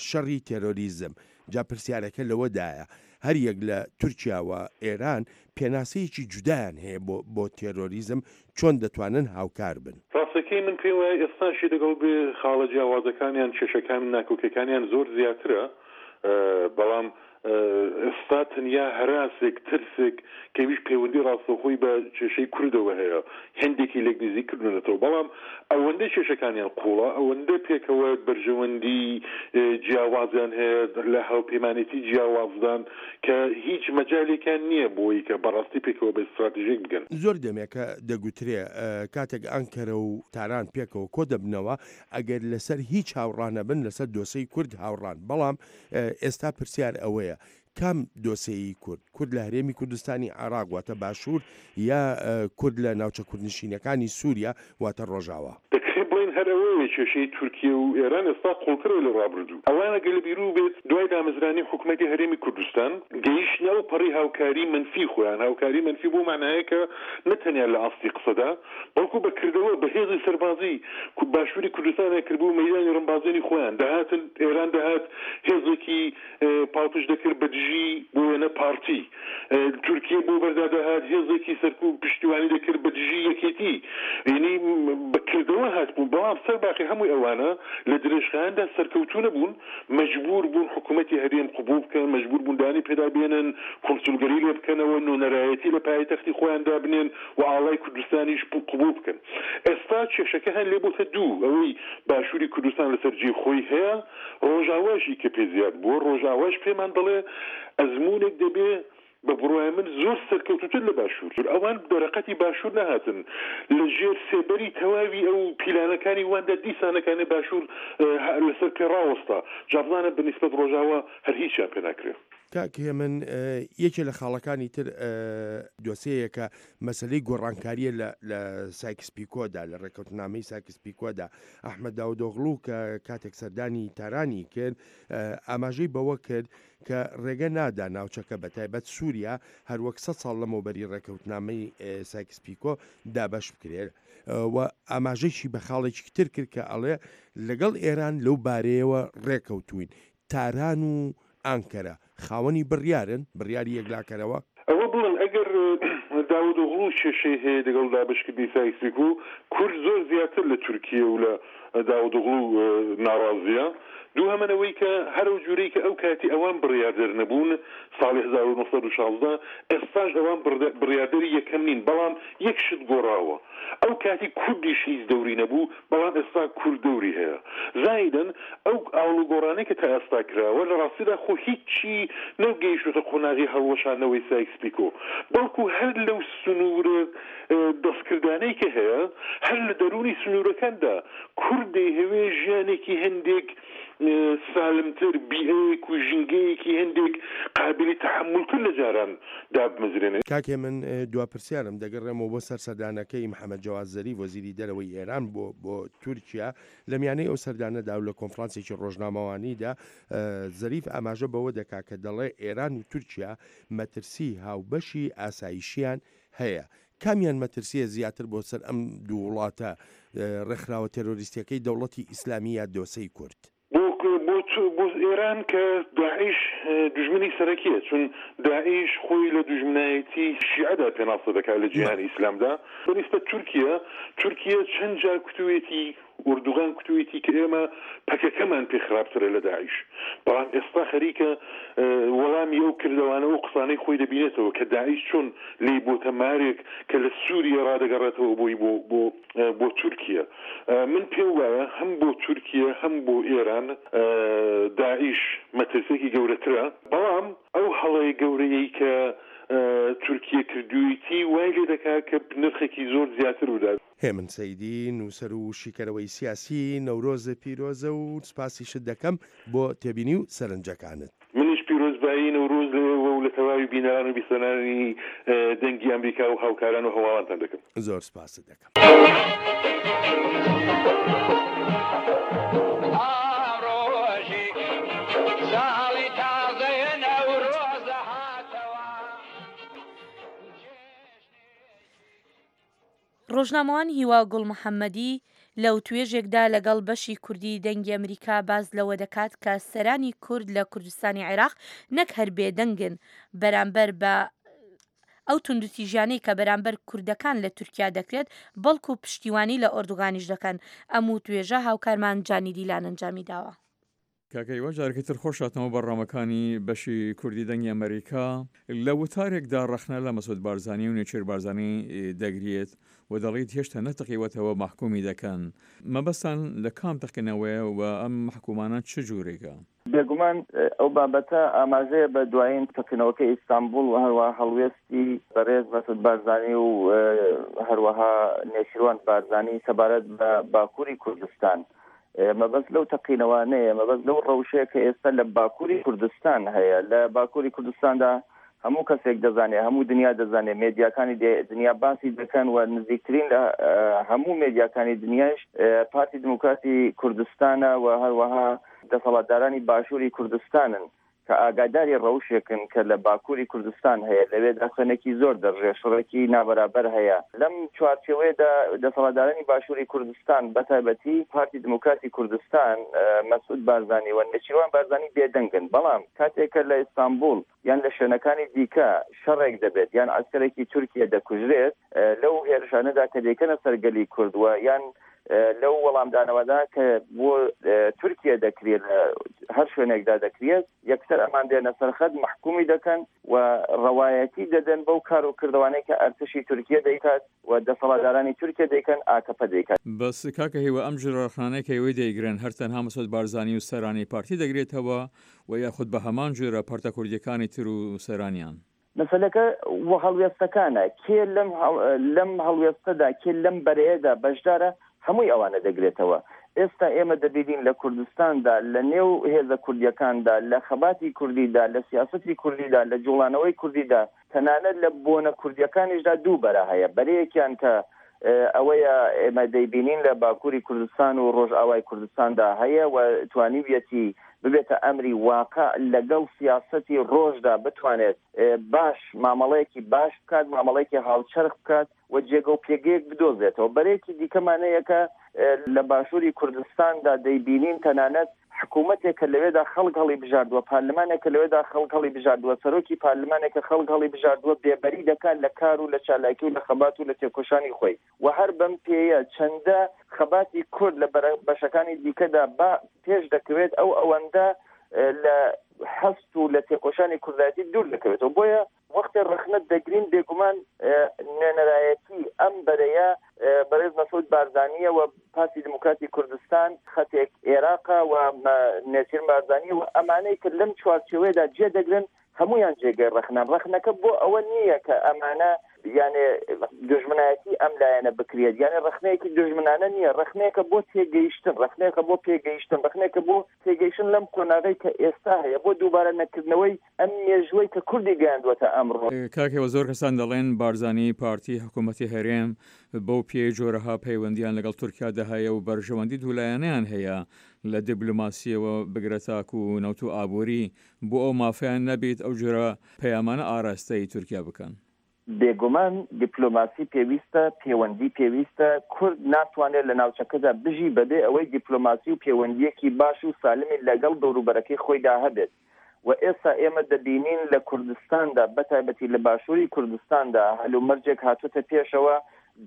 L: شەڕی تێرۆریزم. جا پرسیارەکە لەوەدایە هەر یەک لە تورکیا و ئێران پێناسەیەکی جودایان هەیە بۆ بۆ تێرۆریزم چۆن دەتوانن هاوکار بن؟
M: ڕاستەکەی من پێم وایە ئێستاشی لەگەڵ بێ خاڵە جیاوازەکانیان کێشەکان ناکۆکیەکانیان زۆر زیاترە بەڵام ئێستا تەنیا هەراسێک ترسێک کە ئەویش پەیوەندی ڕاستەوخۆی بە کێشەی کوردەوە هەیە هێندێکی لێک نزیک کردونەتەوە بەڵام ئەوەندە کێشەکانیان قوڵە ئەوەندە پێکەوە بەرژەوەندی جیاوازیان هەیە لە هاوپەیمانێتی جیاوازدان کە هیچ مەجالێکیان نییە بۆی کە بەڕاستی پێکەوە بە ستراتیژێک بگەن.
L: زۆر دەمێکە دەگوترێ کاتێک ئەنکەرە و تاران پێکەوە کۆ دەبنەوە ئەگەر لەسەر هیچ هاوڕا نەبن لەسەر دۆسێی کورد هاوڕان بەڵام ئێستا پرسیار ئەوەیە کام دۆسێی کورد؟ کورد لە هەرێمی کوردستانی عێراق واتە باشوور یا کورد لە ناوچە کوردنشینەکانی سووریا واتە ڕۆژاوا؟
M: دەکرێت بڵێین هەر ئەوەیە کێشەی تورکیە و ئێران ئێستا قوڵترە لە ڕابردوو. ئەوان ئەگەر لە بیرو بێت دوای دامەزرانی حکومەتی هەرێمی کوردستان گەیشتنە ئەو پەڕی هاوکاری مەنفی خۆیان، هاوکاری مەنفی بەو مانایە کە نە تەنیا لە ئاستی قسەدا بەڵکو بە کردەوە بە هێزی سەربازی باشووری کوردستانیان کردبوو مەیدانی ڕمبازێنی خۆیان، دەهاتن ئێران دەهات هێزێکی پاڵپشت دەکرد بە دژی بۆ وێنە پارتی، تورکیە بۆ بەردا دەهات هێزێکی سەرکوب پشتیوانی دەکرد بە دژی یەکێتی، یەنی بە کردەوە هاتبوون، بەڵام سەر باقی هەمووی ئەوانە لە درێژخایەندا سەرکەوتوو نەبوون، مەجبوور بوون حکوومەتی هەرێم قبووڵ بکەن، مەجبوور بوون دانی پێدا بێنن، کونسولگەری لێ بکەنەوە، نوێنەرایەتی لە پایتەختی خۆیان دابنێن و ئاڵای کوردستانیش قبووڵ بکەن. ئێستا کێشەکە هەن لێ بۆتە دوو، ئەوەی باشووری کوردستان لەسەر جێی خۆی هەیە، ڕۆژاواشی کە پێ زیاد بووە، ڕۆژاواش پێمان دەڵێ ئەزموونێک دەبێ بە بڕوای من زۆر سەرکەوتووتر لە باشوور. ئەوان دەرەقەتی باشوور نەهاتن، لە ژێر سێبەری تەواوی ئەو پیلانەکانی واندا دیسانەکانی باشوور لەسەر پێ ڕاوەستا. جا بزانە بە نیسبەت ڕۆژاوا هەر هیچیان پێ ناکرێ.
L: کاک هێمن یەکێ لە خاڵەکانی تر دۆسێیەکە مەسەلەی گۆڕانکارییە لە لە سایکس پیکۆدا، لە ڕێککەوتنامەی سایکس پیکۆدا. ئەحمەد داودۆغڵو کە کاتێک سەردانی تارانی کرد ئاماژەی بەوە کرد کە ڕێگە نادا ناوچەکە بە تایبەت سووریا هەروەک سەد ساڵ لەمەوبەری ڕێککەوتنامەی سایکس پیکۆ دابەش بکرێت و ئاماژەیشی بە خاڵێکی تر کرد کە ئەڵێ لەگەڵ ئێران لەو بارەیەوە ڕێکەوتووین. تاران و ئانکەرە خاوەنی بڕیارن، بڕیاری یەکلاکەرەوە.
M: ئەوە بڵێم ئەگەر داودئۆغڵو کێشەی هەیە لەگەڵ دابەشکردنی سایکس پیکۆ، کورد زۆر زیاتر لە تورکیە و لە داودئۆغڵو ناڕازیە. دووهەمەن ئەوەی کە هەر ئەو جورەی کە ئەو کاتی ئەوان بڕیاردەر نەبوون ساڵی هەزار و نۆ سەد و شازدە، ئێستاش ئەوان بڕیاردەری یەکەم نین، بەڵام یەک شت گۆڕاوە ئەو کاتی کوردیش هیچ دەوری نەبوو، بەڵام ئێستا کورد دەوری هەیە. زایدەن ئەو ئاڵوگۆڕانەی کە تا ئێستا کراوە لە ڕاستیدا خۆ هیچی نەگەیشتۆتە قۆناغی هەڵوەشاندنەوەی سایکس پیکۆ، بەڵکو هەر لەو سنوورە دەستکردانەی کە هەیە، هەر لە دەروونی سنوورەکاندا کورد دەیهەوێ ژیانێکی هەندێک سالمتر، بیئەیەک و ژینگەیەکی هەندێک قابیلی تەحەمولتر لە جاران دابمەزرێنێ.
L: کاک هێمن دوا پرسیارم، دەگەڕێمەوە بۆ سەر سەردانەکەی محەمەد جەواد زەریف وەزیری دەرەوەی ئێران بۆ بۆ تورکیا، لە میانەی ئەو سەردانەدا و لە کۆنفرانسێکی ڕۆژنامەوانیدا زەریف ئاماژە بەوە دەکا کە دەڵێ ئێران و تورکیا مەترسی هاوبەشی ئاسایشیان هەیە، کامیان مەترسییە زیاتر بۆ سەر ئەم دوو وڵاتە، ڕێکخراوە تێرۆریستییەکەی دەوڵەتی ئیسلامی یا دۆسێی کورد؟
M: بۆ بۆ ئێران کە داعش دوژمنی سەرەکییە، چون داعش خۆی لە دوژمنایەتی شیعەدا پێناسە دەکات لە جیهانی ئیسلامدا، بە نیسبەت تورکیە، تورکیە چەند جار کوتوویەتی، ئوردوغان کوتوویەتی کە ئێمە پەکەکەمان پێ خراپترە لە داعش، بەڵام ئێستا خەریکە وەڵامی ئەو کردەوانە و قسانەی خۆی دەبینێتەوە کە داعش چۆن لێی بۆتە مارێک کە لە سوریە ڕادەگەڕێتەوە بۆی بۆ بۆ بۆ تورکیە. من پێم وایە هەم بۆ تورکیە هەم بۆ ئێران داعش مەترسیەکی گەورەترە، بەڵام ئەو هەڵەیە گەورەیەی کە تورکیە کردوویتی وای لێ دەکات کە نرخێکی زۆر زیاتر بدات.
L: هێمن سەیدی، نووسەر و شیکەرەوەی سیاسی، نەورۆزت پیرۆزە و سوپاسیشت دەکەم بۆ تێبینی و سەرنجەکانت.
M: منیش پیرۆزبایی نەورۆز لە ئێوە و لە تەواوی بینەران و بیسەرانی دەنگی ئەمریکا و هاوکاران و هەواڵانتان دەکەم.
L: زۆر سوپاست دەکەم.
B: ڕۆژنامەوان هیوا گوڵ محەمەدی لە وتوێژێکدا لەگەڵ بەشی کوردی دەنگی ئەمریکا باس لەوە دەکات کە سەرانی کورد لە کوردستانی عێراق نەک هەر بێدەنگن بەرامبەر بە ئەو توندوتیژیانەی کە بەرامبەر کوردەکان لە تورکیا دەکرێت، بەڵکو پشتیوانی لە ئۆردوگانیش دەکەن. ئەم وتوێژە هاوکارمان جانی دیلان ئەنجامی داوە.
N: کاکە هیوا جارێکی تر خۆش هاتنەوە بەرنامەکانی بەشی کوردی دەنگی ئەمەریکا. لە وتارێکدا ڕەخنە لە مەسعود بارزانی و نێچیر بارزانی دەگریت و دەڵیت هێشتا نەتەقیوەتەوە مەحکومی دەکەن. مەبەستان لە کام تەقینەوەیە و ئەم مەحکومانە چ جورێکە؟
O: بێگومان ئەو بابەتە ئاماژەیە بە دوایین تەقینەوەکەی ئیستانبوڵ و هەروەها هەڵوێستی بەڕێز مەسعود بارزانی و هەروەها نێچیروان بارزانی سەبارەت بە باکووری کوردستان. مەبەست لەو تەقینەوانەیە، مەبەست لەو ڕەوشەیە کە ئێستا لە باکووری کوردستان هەیە. لە باکووری کوردستاندا هەموو کەسێک دەزانێت، هەموو دنیا دەزانێت، مێدیاکانی دنیا باسی دەکەن و نزیکترین لە هەموو مێدیاکانی دنیایش پارتی دیموکراتی کوردستانە و هەروەها دەسەڵاتدارانی باشووری کوردستانن کە ئاگاداری ڕەوشێکن کە لە باکووری کوردستان هەیە، لەوێدا خوێنێکی زۆر دەڕژێ، شەڕێکی نابەرابەر هەیە. لەم چوارچێوەیەدا دەسەڵاتدارانی باشووری کوردستان بەتایبەتی پارتی دیموکراتی کوردستان، مەسعود بارزانی و نێچیروان بارزانی بێدەنگن. بەڵام کاتێک کە لە ئیستانبوڵ یان لە شوێنەکانی دیکە شەڕێک دەبێت یان عەسکەرێکی تورکیە دەکوژرێت، لەو هێرشانەدا کە دەیکەنە سەر گەلی کورد و یان لەو وەڵامدانەوەدا کە بۆ تورکیە دەکرێت، لە هەر شوێنێکدا دەکرێت، یەکسەر ئەمان دێنە سەرخەت، مەحکومی دەکەن و ڕەوایەتی دەدەن بەو کار و کردەوانەی کە ئەرتشی تورکیە دەیکات و دەسەڵاتدارانی تورکیە دەیکەن، ئاکەپە دەیکات.
N: بەس کاکە هیوا ئەم جۆرە ڕەخنانەی کە ئێوەی دەیگرن هەر تەنها مەسعود بارزانی و سەرانی پارتی دەگرێتەوە و یاخود بە هەمان جۆرە پارتە کوردیەکانی تر و سەرانیان؟
O: مەسەلەکە و هەڵوێستەکانە، کێ لەم لەم هەڵوێستەدا، کێ لەم بەرەیەدا بەشدارە، هەمووی ئەوانە دەگرێتەوە. ئێستا ئێمە دەبینین لە کوردستاندا، لە نێو هێزە کوردییەکاندا، لە خەباتی کوردیدا، لە سیاسەتی کوردیدا، لە جوڵانەوەی کوردیدا، تەنانەت لە بۆنە کوردییەکانیشدا دوو بەرە هەیە. بەرەیەکیان کە ئەوەیە ئێمە دەیبینین لە باکووری کوردستان و ڕۆژئاوای کوردستاندا هەیە و توانیویەتی ببێتە ئەمری واقع، لەگەڵ سیاسەتی ڕۆژدا بتوانێت باش مامەڵەیەکی باش بکات، مامەڵەیەکی هاوچەرخ بکات و جێگە و پێگەیەک بدۆزێتەوە. بەرەیەکی دیکەمان هەیە کە لە باشووری کوردستاندا دەیبینین تەنانەت حکوومەتێک کە لەوێدا خەڵک هەڵی بژاردووە، پارلمانێک کە لەوێدا خەڵک هەڵی بژاردووە، سەرۆکی پارلمانێک کە خەڵک هەڵی بژاردووە، بێبەری دەکات لە کار و لە چالاکی و لە خەبات و لە تێکۆشانی خۆی. و هەر بەم پێیە چەندە خەباتی کورد لە بەشەکانی دیکەدا با پێش دەکەوێت، ئەو ئەوەندە لە هەست و لە تێکۆشانی کوردایەتی دوور دەکەوێتەوە. بۆیە وەختێ ڕەخنە دەگرین، بێگومان نوێنەرایەتی ئەم بەرەیە بەڕێز مەسعود بارزانییە و پارتی دیموکراتی کوردستان خەتێک ئێراقە و نێچیر بارزانی و ئەمانەی کە لەم چوارچێوەیەدا جێ دەگرن هەمویان جێگەی ڕەخنەن. ڕەخنەکە بۆ ئەوە نییە کە ئەمانە یانێ دوژمنایەتی ئەم لایەنە بکرێت، یانێ ڕەخنەیەکی دوژمنانە نییە، ڕەخنەیەکە بۆ تێگەیشتن، ڕەخنەیەکە بۆ پێگەیشتن، ڕەخنەیەکە بۆ تێگەیشتن لەم قۆناغەی کە ئێستا هەیە، بۆ دووبارە نەکردنەوەی ئەم مێژوەی کە کوردی گەیاندووەتە ئەمڕۆ.
N: کاک هێوە، زۆر کەسان دەڵێن بارزانی پارتی حکوومەتی هەرێم بەو پێی جۆرەها پەیوەندیان لەگەڵ تورکیادا هەیە و بەرژەوەندی دوولایەنەیان هەیە لە دیبلۆماسیەوە بگرە تاکو نەوت و ئابووری، بۆ ئەو مافەیان نەبیت ئەو جۆرە پەیامانە ئاراستەی تورکیا بکەن؟
O: بێگومان دیپلۆماسی پێویستە، پێوەندی پێویستە، کورد ناتوانێت لە ناوچەکەدا بژی بەبێ ئەوەی دیپلۆماسی و پێوەندییەکی باش و سالمی لەگەڵ دەوروبەرەکەی خۆیدا هەبێت و ئێستا ئێمە دەبینین لە کوردستاندا بەتایبەتی لە باشووری کوردستاندا هەلومەرجێک هاتووەتە پێشەوە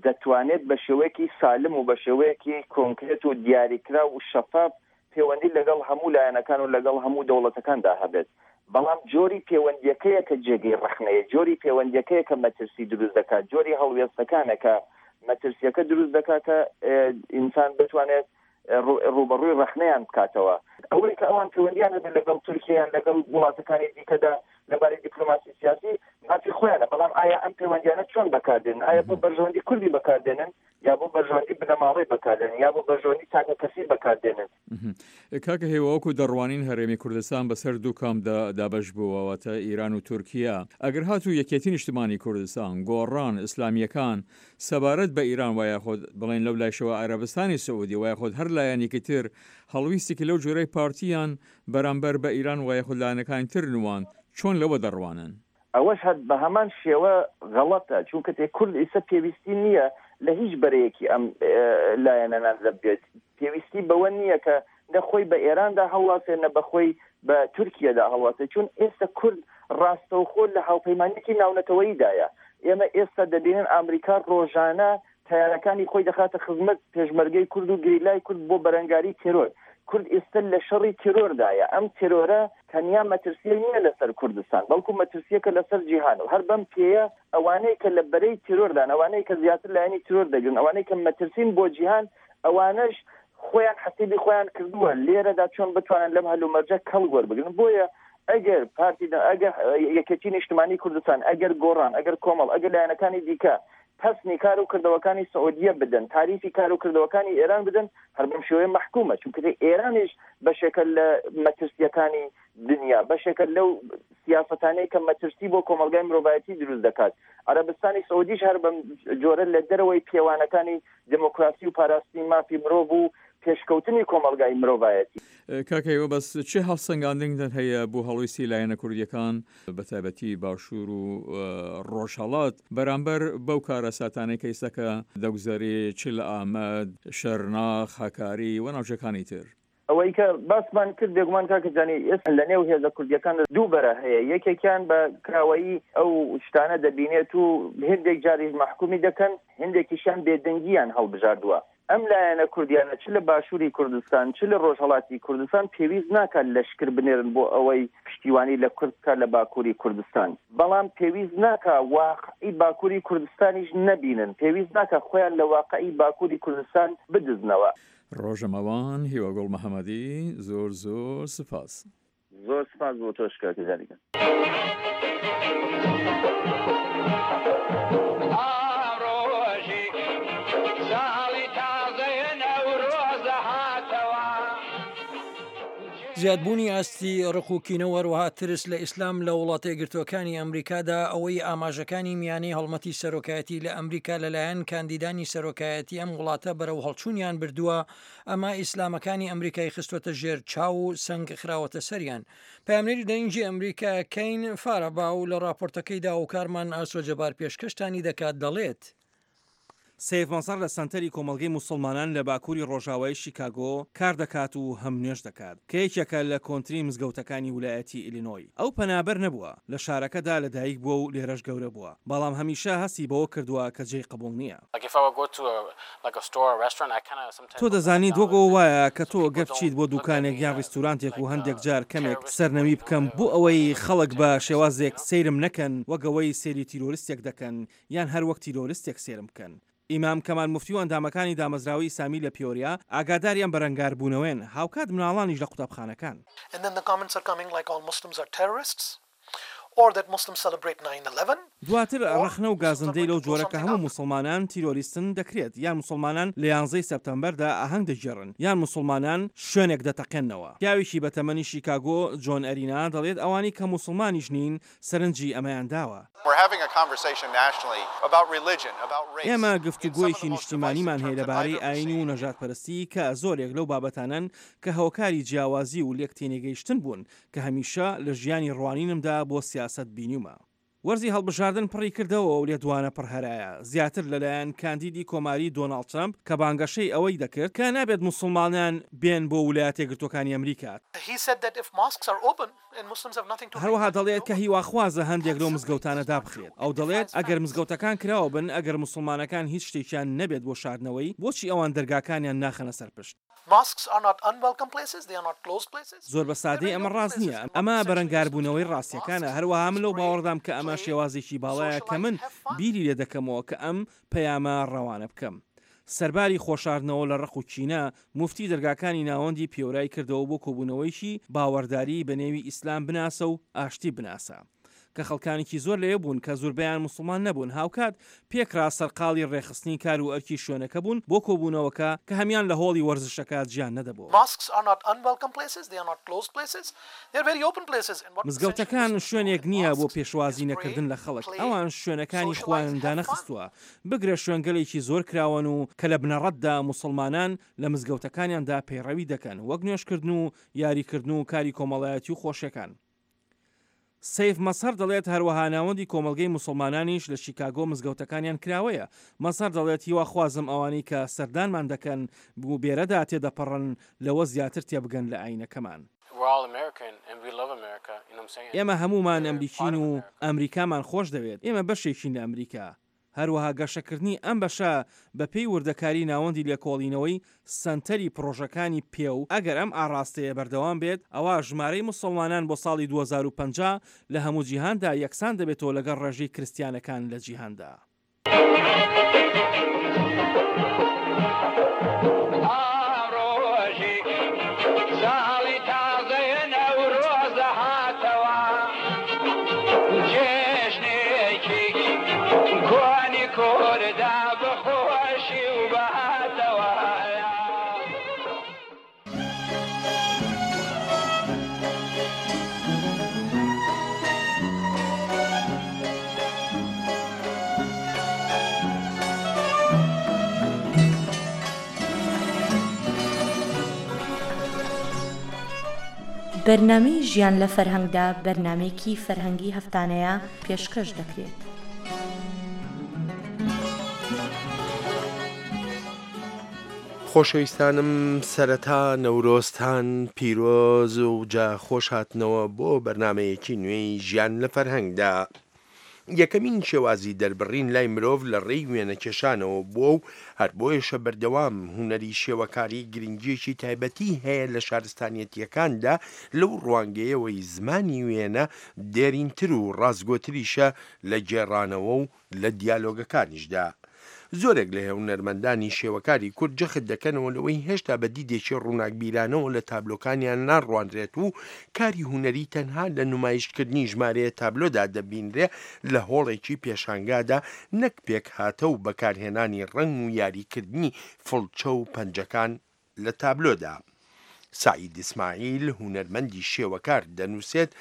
O: دەتوانێت بە شێوەیەکی سالم و بە شێوەیەکی کۆنکرێت و دیاریکراو و شەفاف پێوەندی لەگەڵ هەموو لایەنەکان و لەگەڵ هەموو دەوڵەتەکاندا هەبێت، بەڵام جۆری پێوەندییەکەیە کە جێگەی ڕەخنەیە، جۆری پێوەندییەکەیە کە مەترسی دروست دەکات، جۆری هەڵوێستەکانە کە مەترسییەکە دروست دەکات کە ئینسان بتوانێت ڕووبەڕووی ڕەخنەیان بکاتەوە. ئەوەی کە ئەوان پەیوەندییان هەبێت لەگەڵ تورکیا یان لەگەڵ وڵاتەکانی دیکەدا لەبارەی دیپلۆماسی سیاسی مافی خۆیانە، بەڵام ئایا ئەم پەیوەندیانە چۆن بەکاردێنن؟ ئایا بۆ بەرژەوەندی کوردی بەکاردێنن یا بۆ بەرژەوەندی بنەماڵەی بەکاردێنن یا بۆ بەرژەوەندی تاکەکەسی بەکاردێنن؟
N: کاکە هیوا، وەکو دەڕوانین هەرێمی کوردستان بەسەر دوو کامپدا دابەش بووە، واتە ئیران و تورکیا. ئەگەر هاتوو یەکێتی نیشتمانی کوردستان، گۆڕان، ئیسلامییەکان سەبارەت بە ئیران وە یاخود بڵێین لەو لایشەوە عەرەبستانی سعودی وە یاخود هەر لایەنێکی تر هەڵویستێکی لەو جۆرەی پارتیان بەرامبەر بە ئیران وە یاخود لایەنەکانی تر نواند، چۆن لەوە دەڕوانن؟
O: ئەوەش هەر بە هەمان شێوە غەڵەتە، چونکە تێ کورد ئیسە پێویستی نییە لە هیچ بەرەیەکی ئەم لایەنەنان بێت، پێویستی بەوە نییە کە نە خۆی بە ئێراندا هەڵواسێ نە بە خۆی بە تورکیەدا هەڵواسێ، چون ئێستا کورد ڕاستەوخۆ لە هاوپەیمانیەکی ناونەتەوەییدایە. ئێمە ئێستا دەبینن ئامریکا ڕۆژانە تەیارەکانی خۆی دەخاتە خزمەت پێشمەرگەی کورد و گریلای کورد بۆ بەرەنگاری تێرۆر. کورد ئێستا لە شەڕی تێرۆردایە. ئەم تێرۆرە تەنیا مەترسییە نییە لەسەر کوردستان، بەڵکو مەترسییەکە لەسەر جیهان و هەر بەم پێیە ئەوانەی کە لە بەرەی تێرۆردان، ئەوانەی کە زیاتر لایەنی تێرۆر دەگرن، ئەوانەی کە مەترسین بۆ جیهان، ئەوانەش خۆیان حەسیبی خۆیان کردووە لێرەدا چۆن بتوانن لەم هەلومەرجە کەڵک وەربگرن. بۆیە ئەگەر پارتی، ئەگەر یەکێتی نیشتمانی کوردستان، ئەگەر گۆڕان، ئەگەر کۆمەڵ، ئەگەر لایەنەکانی دیکە پەسنی کار و کردەوەکانی سعودیە بدەن، تاریفی کار و کردەوەکانی ئێران بدەن، هەر بەم شێوەیە مەحکومە، چونکە ئێرانیش بەشێکە لە مەترسییەکانی دنیا، بەشێکە لەو سیاسەتانەی کە مەترسی بۆ کۆمەڵگای مرۆڤایەتی دروست دەکات. عەرەبستانی سعودیش هەر بەم جۆرە لە دەرەوەی پێوانەکانی دێموکراسی و پاراستنی مافی مرۆڤ و پێشکەوتنی کۆمەڵگای مرۆڤایەتی.
N: کاک هیوا بەس چ هەڵسەنگاندنتان هەیە بۆ هەڵویستی لایەنە کوردیەکان بەتایبەتی باشوور و ڕۆژهەڵات بەرامبەر بەو کارەساتانەی کە ئیستا کە دەگوزەرێ چ لە ئامەد، شەرناخ، هەکاری و ناوچەکانی تر؟
O: ئەوەی کە باسمان کرد بێگومان کاکە جانی ئێستا لە نێو هێزە کوردیەکاندا دوو بەرە هەیە، یەکێکیان بە کراوەیی ئەو شتانە دەبینێت و هێندێک جاریش مەحکومی دەکەن، هێندێکیشیان بێدەنگیان هەڵبژاردووە. ئەم لایەنە کوردیانە چ لە باشووری کوردستان چ لە ڕۆژهەڵاتی کوردستان پێویست ناکات لەشکر بنێرن بۆ ئەوەی پشتیوانی لە کورد بکات لە باکووری کوردستان، بەڵام پێویست ناکا واقعی باکووری کوردستانیش نەبینن، پێویست ناکا خۆیان لە واقعی باکووری کوردستان بدزنەوە.
N: ڕۆژەمەوان هیواگوڵ محەمەدی زۆر زۆر سپاس.
O: زۆر سپاس بۆ تۆش کاک جاریگەن.
C: زیادبوونی ئاستی ڕق و کینە و هەروەها ترس لە ئیسلام لە وڵاتە یەکگرتووەکانی ئەمریکادا، ئەوەی ئاماژەکانی میانەی هەڵمەتی سەرۆکایەتی لە ئەمریکا لەلایەن کاندیدانی سەرۆکایەتی ئەم وڵاتە بەرەو هەڵچوونیان بردووە، ئەمە ئیسلامەکانی ئەمریکای خستووەتە ژێر چاو و سەنگ خراوەتە سەریان. پەیامنێری دەنگی ئەمریکا کەین فاراباو لە ڕاپۆرتەکەیدا و کارمان ئاسۆ جەبار پێشکەشتانی دەکات دەڵێت،
P: سەیف مەزهەر لە سەنتەری کۆمەڵگەی موسڵمانان لە باکووری ڕۆژاوای شیکاگۆ کار دەکات و هەم نوێژ دەکات، کە یەکێکە لە کۆنترین مزگەوتەکانی ولایەتی ئیلینۆی. ئەو پەنابەر نەبووە، لە شارەکەدا لەدایک بووە و لێرەش گەورە بووە، بەڵام هەمیشە هەستی بەوە کردووە کە جێی قبوڵ نییە. تۆ دەزانیت وەک ئەوە وایە کە تۆ گەر بچیت بۆ دوکانێک یان ڕیستورانتێک و هەندێک جار کەمێک سەرنەوی بکەم بۆ ئەوەی خەڵک بە شێوازێک سەیرم نەکەن وەک ئەوەی سەیری تیرۆرستێک دەکەن یان هەر وەک تیرۆرستێک سەیرم بکەن. ئیمام کەمال موفتی و ئەندامەکانی دامەزراوەی ئیسلامی لە پیۆریا ئاگاداری ئەم بەرەنگاربوونەوەیەن، هاوکات مناڵانیش لە قوتابخانەکان. دواتر ڕەخنە و گازندەی لەو جۆرە کە هەموو موسڵمانان تیرۆریستن دەکرێت، یان موسڵمانان لە یانزەی سێپتەمبەردا ئاهەنگ دەگێڕن، یان موسڵمانان شوێنێک دەتەقێننەوە. پیاوێکی بەتەمەنی شیکاگۆ، جۆن ئەرینا، دەڵێت ئەوانەی کە موسڵمانیش نین سەرنجی ئەمەیان داوە. ئێمە گفتوگۆیەکی نیشتیمانیمان هەیە لەبارەی ئایین و نەژادپەرستی کە زۆرێک لەو بابەتانەن کە هۆکاری جیاوازی و لێکتێنەگەیشتن بوون کە هەمیشە لە ژیانی ڕوانینمدا بۆ سیاسەت بینیومە. وەرزی هەڵبژاردن پڕی کردەوە و لێدوانە پڕ هەرایە زیاتر لەلایەن کاندیدی کۆماری دۆناڵد ترەمپ کە بانگەشەی ئەوەی دەکرد کە نابێت موسڵمانان بێن بۆ ولایەتەیەکگرتووەکانی ئەمریکا. هەروەها دەڵێت کە هیواخوازە هەندێک لەو مزگەوتانە دابخرێت. ئەو دەڵێت ئەگەر مزگەوتەکان کراوە بن، ئەگەر موسڵمانەکان هیچ شتێکیان نەبێت بۆ شاردنەوەی، بۆچی ئەوان دەرگاکانیان ناخەنە سەر پشت؟ زۆر بە سادەی ئەمە ڕاست نییە. ئەمە بەرەنگاربوونەوەی ڕاستییەکانە. هەروەها من لەو باوەڕدام کە ئەمە شێوازێکی باڵایە کە من بیری لێ دەکەمەوە کە ئەم پەیامە ڕەوانە بکەم. سەرباری خۆشاردنەوە لە ڕق و کینە، موفتی دەرگاکانی ناوەندی پیۆرای کردەوە بۆ کۆبوونەوەیکی باوەڕداری بە نێوی ئیسلام بناسە و ئاشتی بناسە کە خەڵکانێکی زۆر لەوێ بوون کە زوربەیان موسڵمان نەبوون هاوکات پێکرا سەرقاڵی ڕێکخستنی کار و ئەرکی شوێنەکە بوون بۆ کۆبوونەوەکە کە هەمیان لە هۆڵی وەرزشەکە جیا نەدەبۆوە. مزگەوتەکان شوێنێک نییە بۆ پێشوازی نەکردن لە خەڵک، ئەوان شوێنەکانی خۆیان دانەخستووە، بگرە شوێنگەلێکی زۆر کراوەن و کە لە بنەڕەتدا موسڵمانان لە مزگەوتەکانیاندا پەیڕەوی دەکەن وەک نوێژکردن و یاریکردن و کاری کۆمەڵایەتی و خۆشیەکان. سەیف مەزهەر دەڵێت هەروەها ناوەندی کۆمەڵگەی موسڵمانانیش لە شیکاگۆ مزگەوتەکانیان کراوەیە. مەزهەر دەڵێت هیواخوازم ئەوانەی کە سەردانمان دەکەن و بێرەدا تێدەپەڕن لەوە زیاتر تێبگەن لە ئاینەکەمان. ئێمە هەموومان ئەمریکین و ئەمریکامان خۆشدەوێت. ئێمە بەشێکین لە ئەمریکا. هەروەها گەشەکردنی ئەم بەشە بەپێی وردەکاری ناوەندی لێکۆڵینەوەی سەنتەری پڕۆژەکانی پێو، ئەگەر ئەم ئاڕاستەیە بەردەوام بێت ئەوا ژمارەی موسڵمانان بۆ ساڵی دوو هەزار و پەنجا لە هەموو جیهاندا یەکسان دەبێتەوە لەگەڵ ڕێژەی کرستیانەکان لە جیهاندا.
B: بەرنامەی ژیان لە فەرهەنگدا بەرنامەیەکی فەرهەنگی هەفتانەیە پێشکەش دەکرێت.
L: خۆشەویستانم سەرەتا نەورۆزتان پیرۆز و جا خۆش هاتنەوە بۆ بەرنامەیەکی نوێی ژیان لە فەرهەنگدا. یەکەمین شێوازی دەربڕین لای مرۆڤ لە ڕێی وێنەکێشانەوە بووە و هەر بۆیەشە بەردەوام هونەری شێوەکاری گرنگییەکی تایبەتی هەیە لە شارستانیەتییەکاندا لەو ڕوانگەیەوەی زمانی وێنە دێرینتر و ڕاستگۆتریشە لە گێڕانەوە و لە دیالۆگەکانیشدا. زۆرێک لە هونەرمەندانی شێوەکاری کورد جەخت دەکەنەوە لەوەی هێشتا بە دیدێکی ڕووناکبیرانەوە لە تابلۆکانیان ناڕوانرێت و کاری هونەری تەنها لە نمایشکردنی ژمارەیە تابلۆدا دەبینرێ لە هۆڵێکی پێشانگادا نەک پێکهاتە و بەکارهێنانی ڕەنگ و یاریکردنی فڵچە و پەنجەکان لە تابلۆدا. سەعید ئیسماعیل هونەرمەندی شێوەکار دەنووسێت،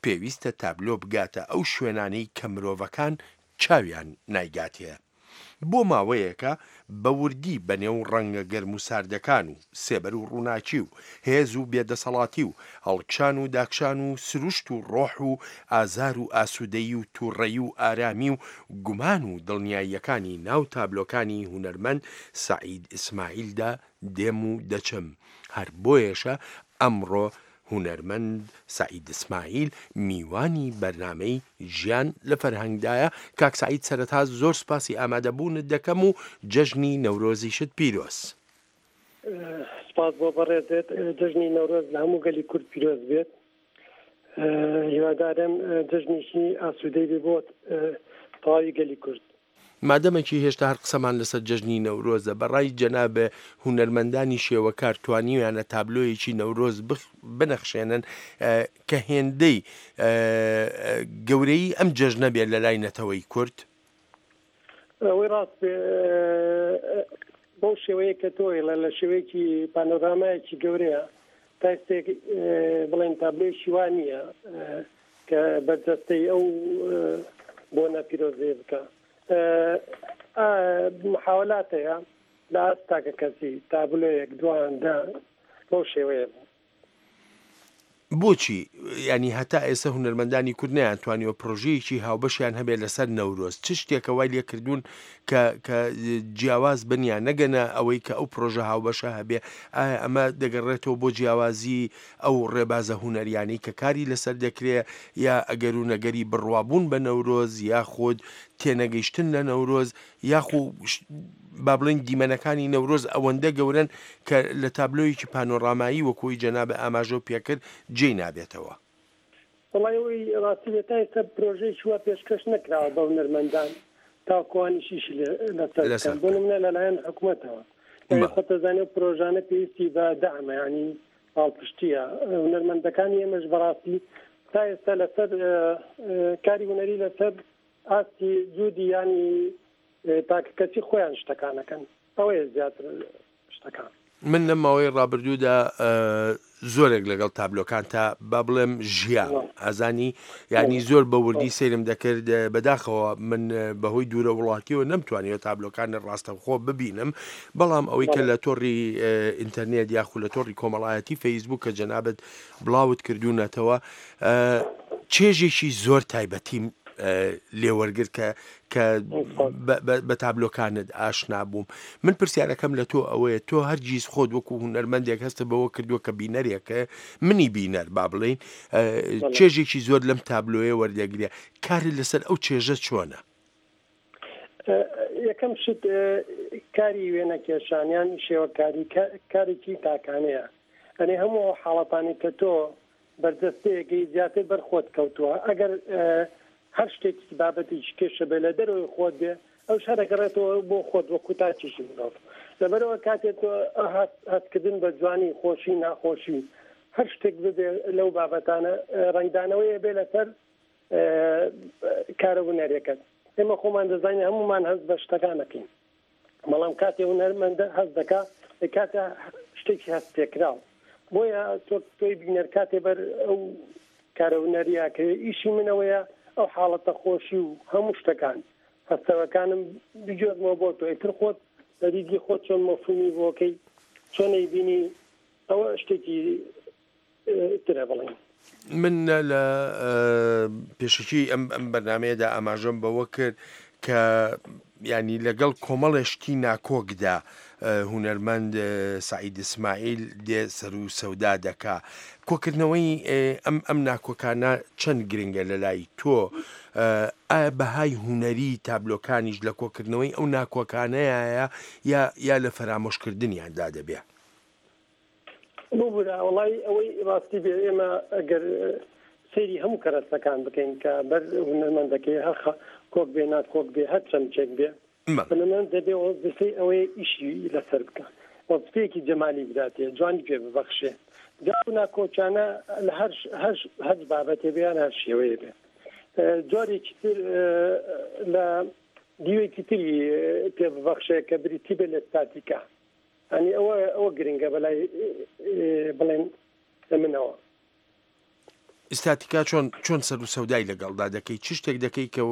L: پێویستە تابلۆ بگاتە ئەو شوێنانەی کە مرۆڤەکان چاویان نایگاتێ. بۆ ماوەیەکە بە وردی بە نێو ڕەنگە گەرم و ساردەکان و سێبەر و ڕووناکی و هێز و بێدەسەڵاتی و هەڵکشان و داکشان و سروشت و ڕۆح و ئازار و ئاسوودەیی و تووڕەیی و ئارامی و گومان و دڵنیاییەکانی ناو تابلۆکانی هونەرمەند سەعید ئیسماعیلدا دێم و دەچم. هەر بۆیەشە ئەمڕۆ هونەرمەند سەعید ئیسماعیل میوانی بەرنامەی ژیان لە فەرهەنگدایە. کاک سەعید سەرەتا زۆر سوپاسی ئامادەبوونت دەکەم و جەژنی نەورۆزیشت پیرۆز.
Q: سپاس بۆ بەڕێزت. جەژنی نەورۆز لە هەموو گەلی کورد پیرۆز بێت. هیوادارم جەژنێکی ئاسوودەی بێ بۆ تەواوی گەلی کورد.
L: مادەمێکی هێشتا هەر قسەمان لەسەر جەژنی نەورۆزە، بە ڕای جەنابێ هونەرمەندانی شێوەکار توانیویانە تابلۆیەکی نەورۆز بنەخشێنن کە هێندەی گەورەیی ئەم جەژنە بێت لە لای نەتەوەی کورد؟
Q: ئەوەی ڕاست بێ بەو شێوەیە کە تۆ ئێڵێ لە شێوەیەکی پانۆرامایەکی گەورەیە تا ئێستێک بڵێن تابلۆیەکی وا نییە کە بەرجەستەی ئەو بۆنە پیرۆزەیە بکە. محاولات هەیە لە ئاست تاکە کەسی تابلۆیەک دوان دە بەو شێوەیە بوو.
L: بۆچی ینی هەتا ئێستا هونەرمەندانی کورد نەیانتوانیوە پرۆژەیەکی هاوبەشیان هەبێت لەسەر نەورۆز؟ چ شتێکە وای لێکردوون کە کە جیاواز بن یان نەگەنە ئەوەی کە ئەو پرۆژە هاوبەشە هەبێ؟ ئایا ئەمە دەگەڕێتەوە بۆ جیاوازی ئەو ڕێبازە هونەریانەی کە کاری لەسەر دەکرێ، یا ئەگەر و نەگەری بڕوابوون بە نەورۆز، یاخود تێنەگەیشتن لە نەورۆز، یاخو با بڵێن دیمەنەکانی نەورۆز ئەوەندە گەورەن کە لە تابلۆیەکی پانۆرامایی وەکوی جەنابە ئاماژە پێکرد جێی نابێتەوە؟
Q: وەڵای ئەوەی ڕاستی بێت تا ئێستا پرۆژەیەکی وا پێشکەش نەکراوە بە هونەرمەندان تاکوانیش ئیشی لەسەر بکەن، بۆ نمونە لەلایەن حکوومەتەوە. خۆت دەزانی ئەو پرۆژانە پێویستی بە دەعمە، یعنی پاڵپشتیە. هونەرمەندەکانی ئێمەش بەڕاستی تا ئێستا لەسەر کاری هونەری لەسەر ئاستی جودی ینی تاکە کەسی خۆیان شتەکانەکەن، ئەوەیە زیاتر شتەکان.
L: من لەم ماوەی ڕابردوودا زۆرێک لەگەڵ تابلۆکان تا با بڵێم ژیام ئازانی، یعنی زۆر بە وردی سەیرم دەکرد. بەداخەوە من بەهۆی دوورە وڵاتیەوە نەمتوانیوە تابلۆکانی ڕاستەوخۆ ببینم، بەڵام ئەوەی کە لە تۆڕی ئینتەرنێت یاخود لە تۆڕی کۆمەڵایەتی فەیسبوک کە جەنابت بڵاوت کردوونەتەوە چێژێکی زۆر تایبەتیم لێوەرگر کە کە بە تابلۆکانت ئاشنا بووم. من پرسیارەکەم لە تۆ ئەوەیە، تۆ هەرگیز خۆت وەکو هونەرمەندێک هەستە بەوە کردووە کە بینەرێکە، منی بینەر با بڵێین چێژێکی زۆر لەم تابلۆیە وەردەگرێ، کاری لەسەر ئەو چێژە چۆنە؟
Q: یەکەم شت کاری وێنەکێشانیان شێوەکاری کارێکی تاکانەیە، ئەنێ هەموو ئەو حاڵەتانی کە تۆ بەرجەستەیەکەی زیاتر بەرخۆت کەوتووە، ئەگەر هەر شتێکی بابەتێکی کێشە بێ لە دەرەوەی خۆت بێ ئەو شارەگەڕێتەوە بۆ خۆت وەکو تاکێکی مرۆڤ. لەبەرەوە کاتێک تۆ هەستکردن بە جوانی، خۆشی، ناخۆشی، هەر شتێک ببێ لەو بابەتانە ڕەنگدانەوەیە بێ لەسەر کارە هونەریەکەت. ئێمە خۆمان دەزانین هەمومان هەست بە شتەکانەکەین، بەڵام کاتێ هونەرمەندە هەست دەکا کاتێ شتێکی هەست پێکراو، بۆیە تۆ تۆی بینەر کاتێ بەر ئەو کارە هونەریەکەوێ ئیشی منەوەیە ئەو حاڵەتە خۆشی و هەموو شتەکان هەستەوەکانم بگێڕمەوە بۆ تۆ، ئیتر خۆت لە دیدی خۆت چۆن مەفهومی بۆکەی چۆن ئەیبینی ئەوە شتێکی ترە بڵێن.
L: من لە پێشەکی ئەم ئەم بەرنمەیەدا ئاماژەم بەوە کرد کە ینی لەگەڵ کۆمەڵێ شتی ناکۆکدا هونەرمەند سەعید ئیسماعیل دێ سەر و سەودا دەکا. کۆکردنەوەی ئەم ئەم ناکۆکانە چەند گرنگە لە لای تۆ؟ ئایا بەهای هونەری تابلۆکانیش لە کۆکردنەوەی ئەو ناکۆکانەیە یا یا لە فەرامۆشکردنیاندا دەبێ؟
Q: ببورە، وەڵای ئەوەی ڕاستی بێ ئێمە ئەگەر سەیری هەموو کەرەسەکان بکەین کە بەر هونەرمەندەکەی هەر کۆک بێ ناکۆک بێ هەر چەمچێک بێ، هونەرمەند دەبێ وەزیفەی ئەوەیە ئیشی لەسەر بکە، وەزیفەیەکی جەمالی بداتێ، جوانی پێ ببەخشێ. جا ئەو ناکۆکیانە لە هەر هەر هەر بابەتێ بێ یان هەر شێوەیە بێ. جۆرێکی تر لە دیوێکی تری پێ ببەخشێ کە بریتی بێ لە ستاتیکا. یعنی ئەوە ئەوە گرنگە بەلای بڵێن منەوە.
L: ئیستاتیکا چۆن چۆن سەر و سەودای لەگەڵدا دەکەی؟ چ شتێک دەکەی کە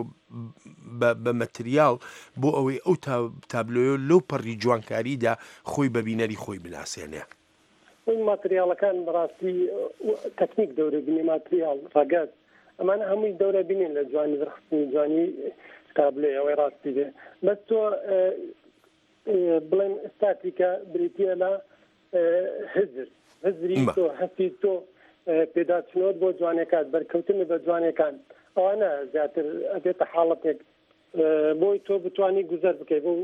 L: بە مەتریاڵ بۆ ئەوەی ئەو تابلۆیە لەو پەڕی جوانکاریدا خۆی بە بینەری خۆی بناسێنێ؟
Q: ئەو ماتریاڵەکان بەڕاستی تەکنیک دەورە بینێ، ماتریاڵ ڕەگەز ئەمانە هەمووی دەورە بینین لە جوانی دەرخستنی جوانی تابلۆی ئەوەی ڕاستی بێ. بەس تۆ بڵێن ئستاتیکا بریتیە لە هزر، هزری تۆ، هەستی تۆ، پێداچنەوەت بۆ جوانەکان، بەرکەوتن بە جوانەکان، ئەوانە زیاتر ئەبێتە حاڵەتێک بۆی تۆ بتانی گوزەر بکەیت بۆ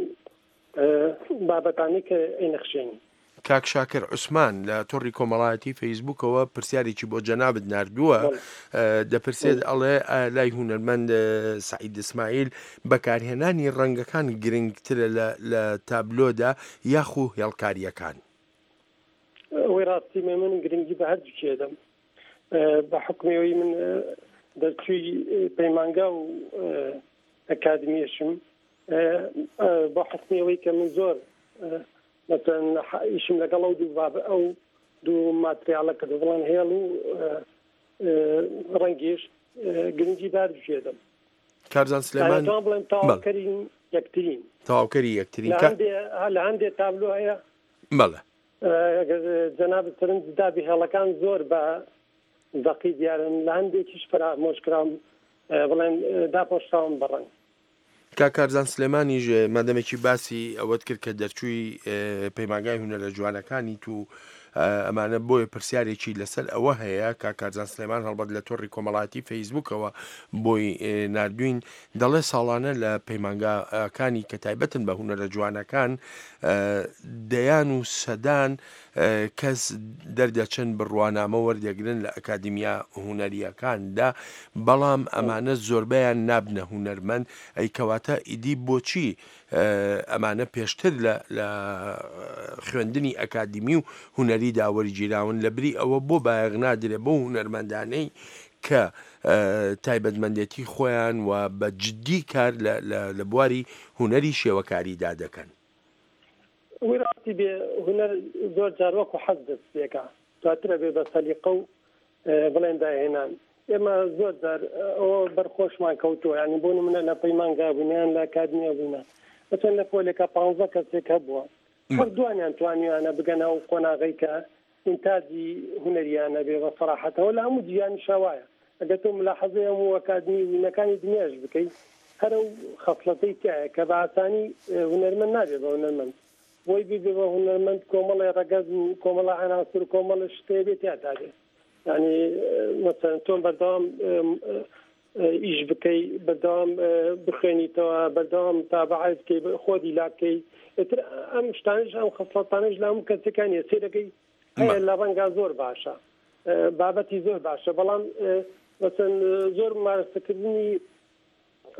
Q: بابەتانی کە ئەینەخشێنی.
L: کاک شاکر عوسمان لە تۆڕی کۆمەڵایەتی فەیسبوکەوە پرسیارێکی بۆ جەنابت ناردووە، دەپرسێت ئەڵێ لای هونەرمەند سعید ئیسماعیل بەکارهێنانی ڕەنگەکان گرنگترە لە تابلۆدا یاخو هێڵکاریەکان؟
Q: ئەوەی ڕاستی من گرنگی بە هەردووکی ئەدەم. بە حکمەوەی من دەرچووی پەیمانگا و ئەکادمیشم، بە حکمەوەی کە من زۆر مثلا ئیشم لەگەڵ ئەو دوو باب ئەو دوو ماتریاڵە کە بڵێن هێڵ و ڕەنگیش گرنگی بە هەردووکی ئەدەم.
L: کارزان سلێمان
Q: بڵێن تەواوکەری یەکترین،
L: تەواوکەری یەکترین
Q: لە هەندێک تابلۆ هەیە.
L: بەڵێ
Q: ئەگەر جەناب سەرنج دابی هێڵەکان زۆر بە دەقی دیارن، لە هەندێکیش فەرامۆشکراون بڵێن داپۆشراون بە ڕەنگ.
L: کاک کارزان سلێمانیش مادەمێکی باسی ئەوەت کرد کە دەرچووی پەیمانگای هونەرە جوانەکانی تو ئەمانە، بۆیە پرسیارێکی لەسەر ئەوە هەیە. کاک کارزان سلێمان هەڵبەت لە تۆڕی کۆمەڵایەتی فەیسبوکەوە بۆی ناردوین، دەڵێ ساڵانە لە پەیمانگاکانی کە تایبەتن بە هونەرە جوانەکان دەیان و سەدان کەس دەردەچن بڕوانامە وەردەگرن لە ئەکادیمیا هونەریەکاندا، بەڵام ئەمانە زۆربەیان نابنە هونەرمەند. ئەی کەواتە ئیدی بۆچی ئەمانە پێشتر لە خوێندنی ئەکادیمی و هونەریدا وەرگیراون؟ لە بری ئەوە بۆ بایەخ نادرێ بۆ هونەرمەندانەی کە تایبەتمەندێتی خۆیان و بە جدی کار لە بواری هونەری شێوەکاریدا دەکەن؟
Q: ئەوەی ڕاستی بێ هونەر زۆر جار وەکو حەز دەست پێکا، دواترە بێ بە سەلیقە و بڵێن داهێنان. ئێمە زۆر جار ئەوە بەرخۆشمان کەوتووە، یعنی بۆ نمونە لە پەیمانگا بووینە یان لە ئەکادیمیا بووینە، مەسەلەن لە پۆلێکە پانزە کەسێک هەبووە، هەر دوانیان توانیویانە بگەنە ئەو قۆناغەی کە ئینتاجی هونەریانە بێ بە سەراحەتەوە. لە هەموو جیهانیشا وایە، ئەگەر تۆ ملاحەزەی هەموو ئەکادمی وینەکانی دنیاش بکەی، هەر ئەو خەسڵەتەی تایە کە بە ئاسانی هونەرمەند نابێ بە هونەرمەند. بۆی ببێ بە هونەرمەند کۆمەڵی ڕەگەز و کۆمەڵە عەناسر و کۆمەڵە شتێ بێ تیا بێ. یعنی مەسەلەن تۆ بەردەوام ئیش بکەی، بەردەوام بخوێنیتەوە، بەردەوام تابعای بکەی، خۆدی لا بکەی. ئیتر ئەم شتانش ئەم خەسڵەتانەش لە هەموو کەسەکانی سێرەکەی هەیە لە ڕەنگا زۆر باشە، بابەتی زۆر باشە، بەڵام مەسەلەن زۆر مارەسەکردنی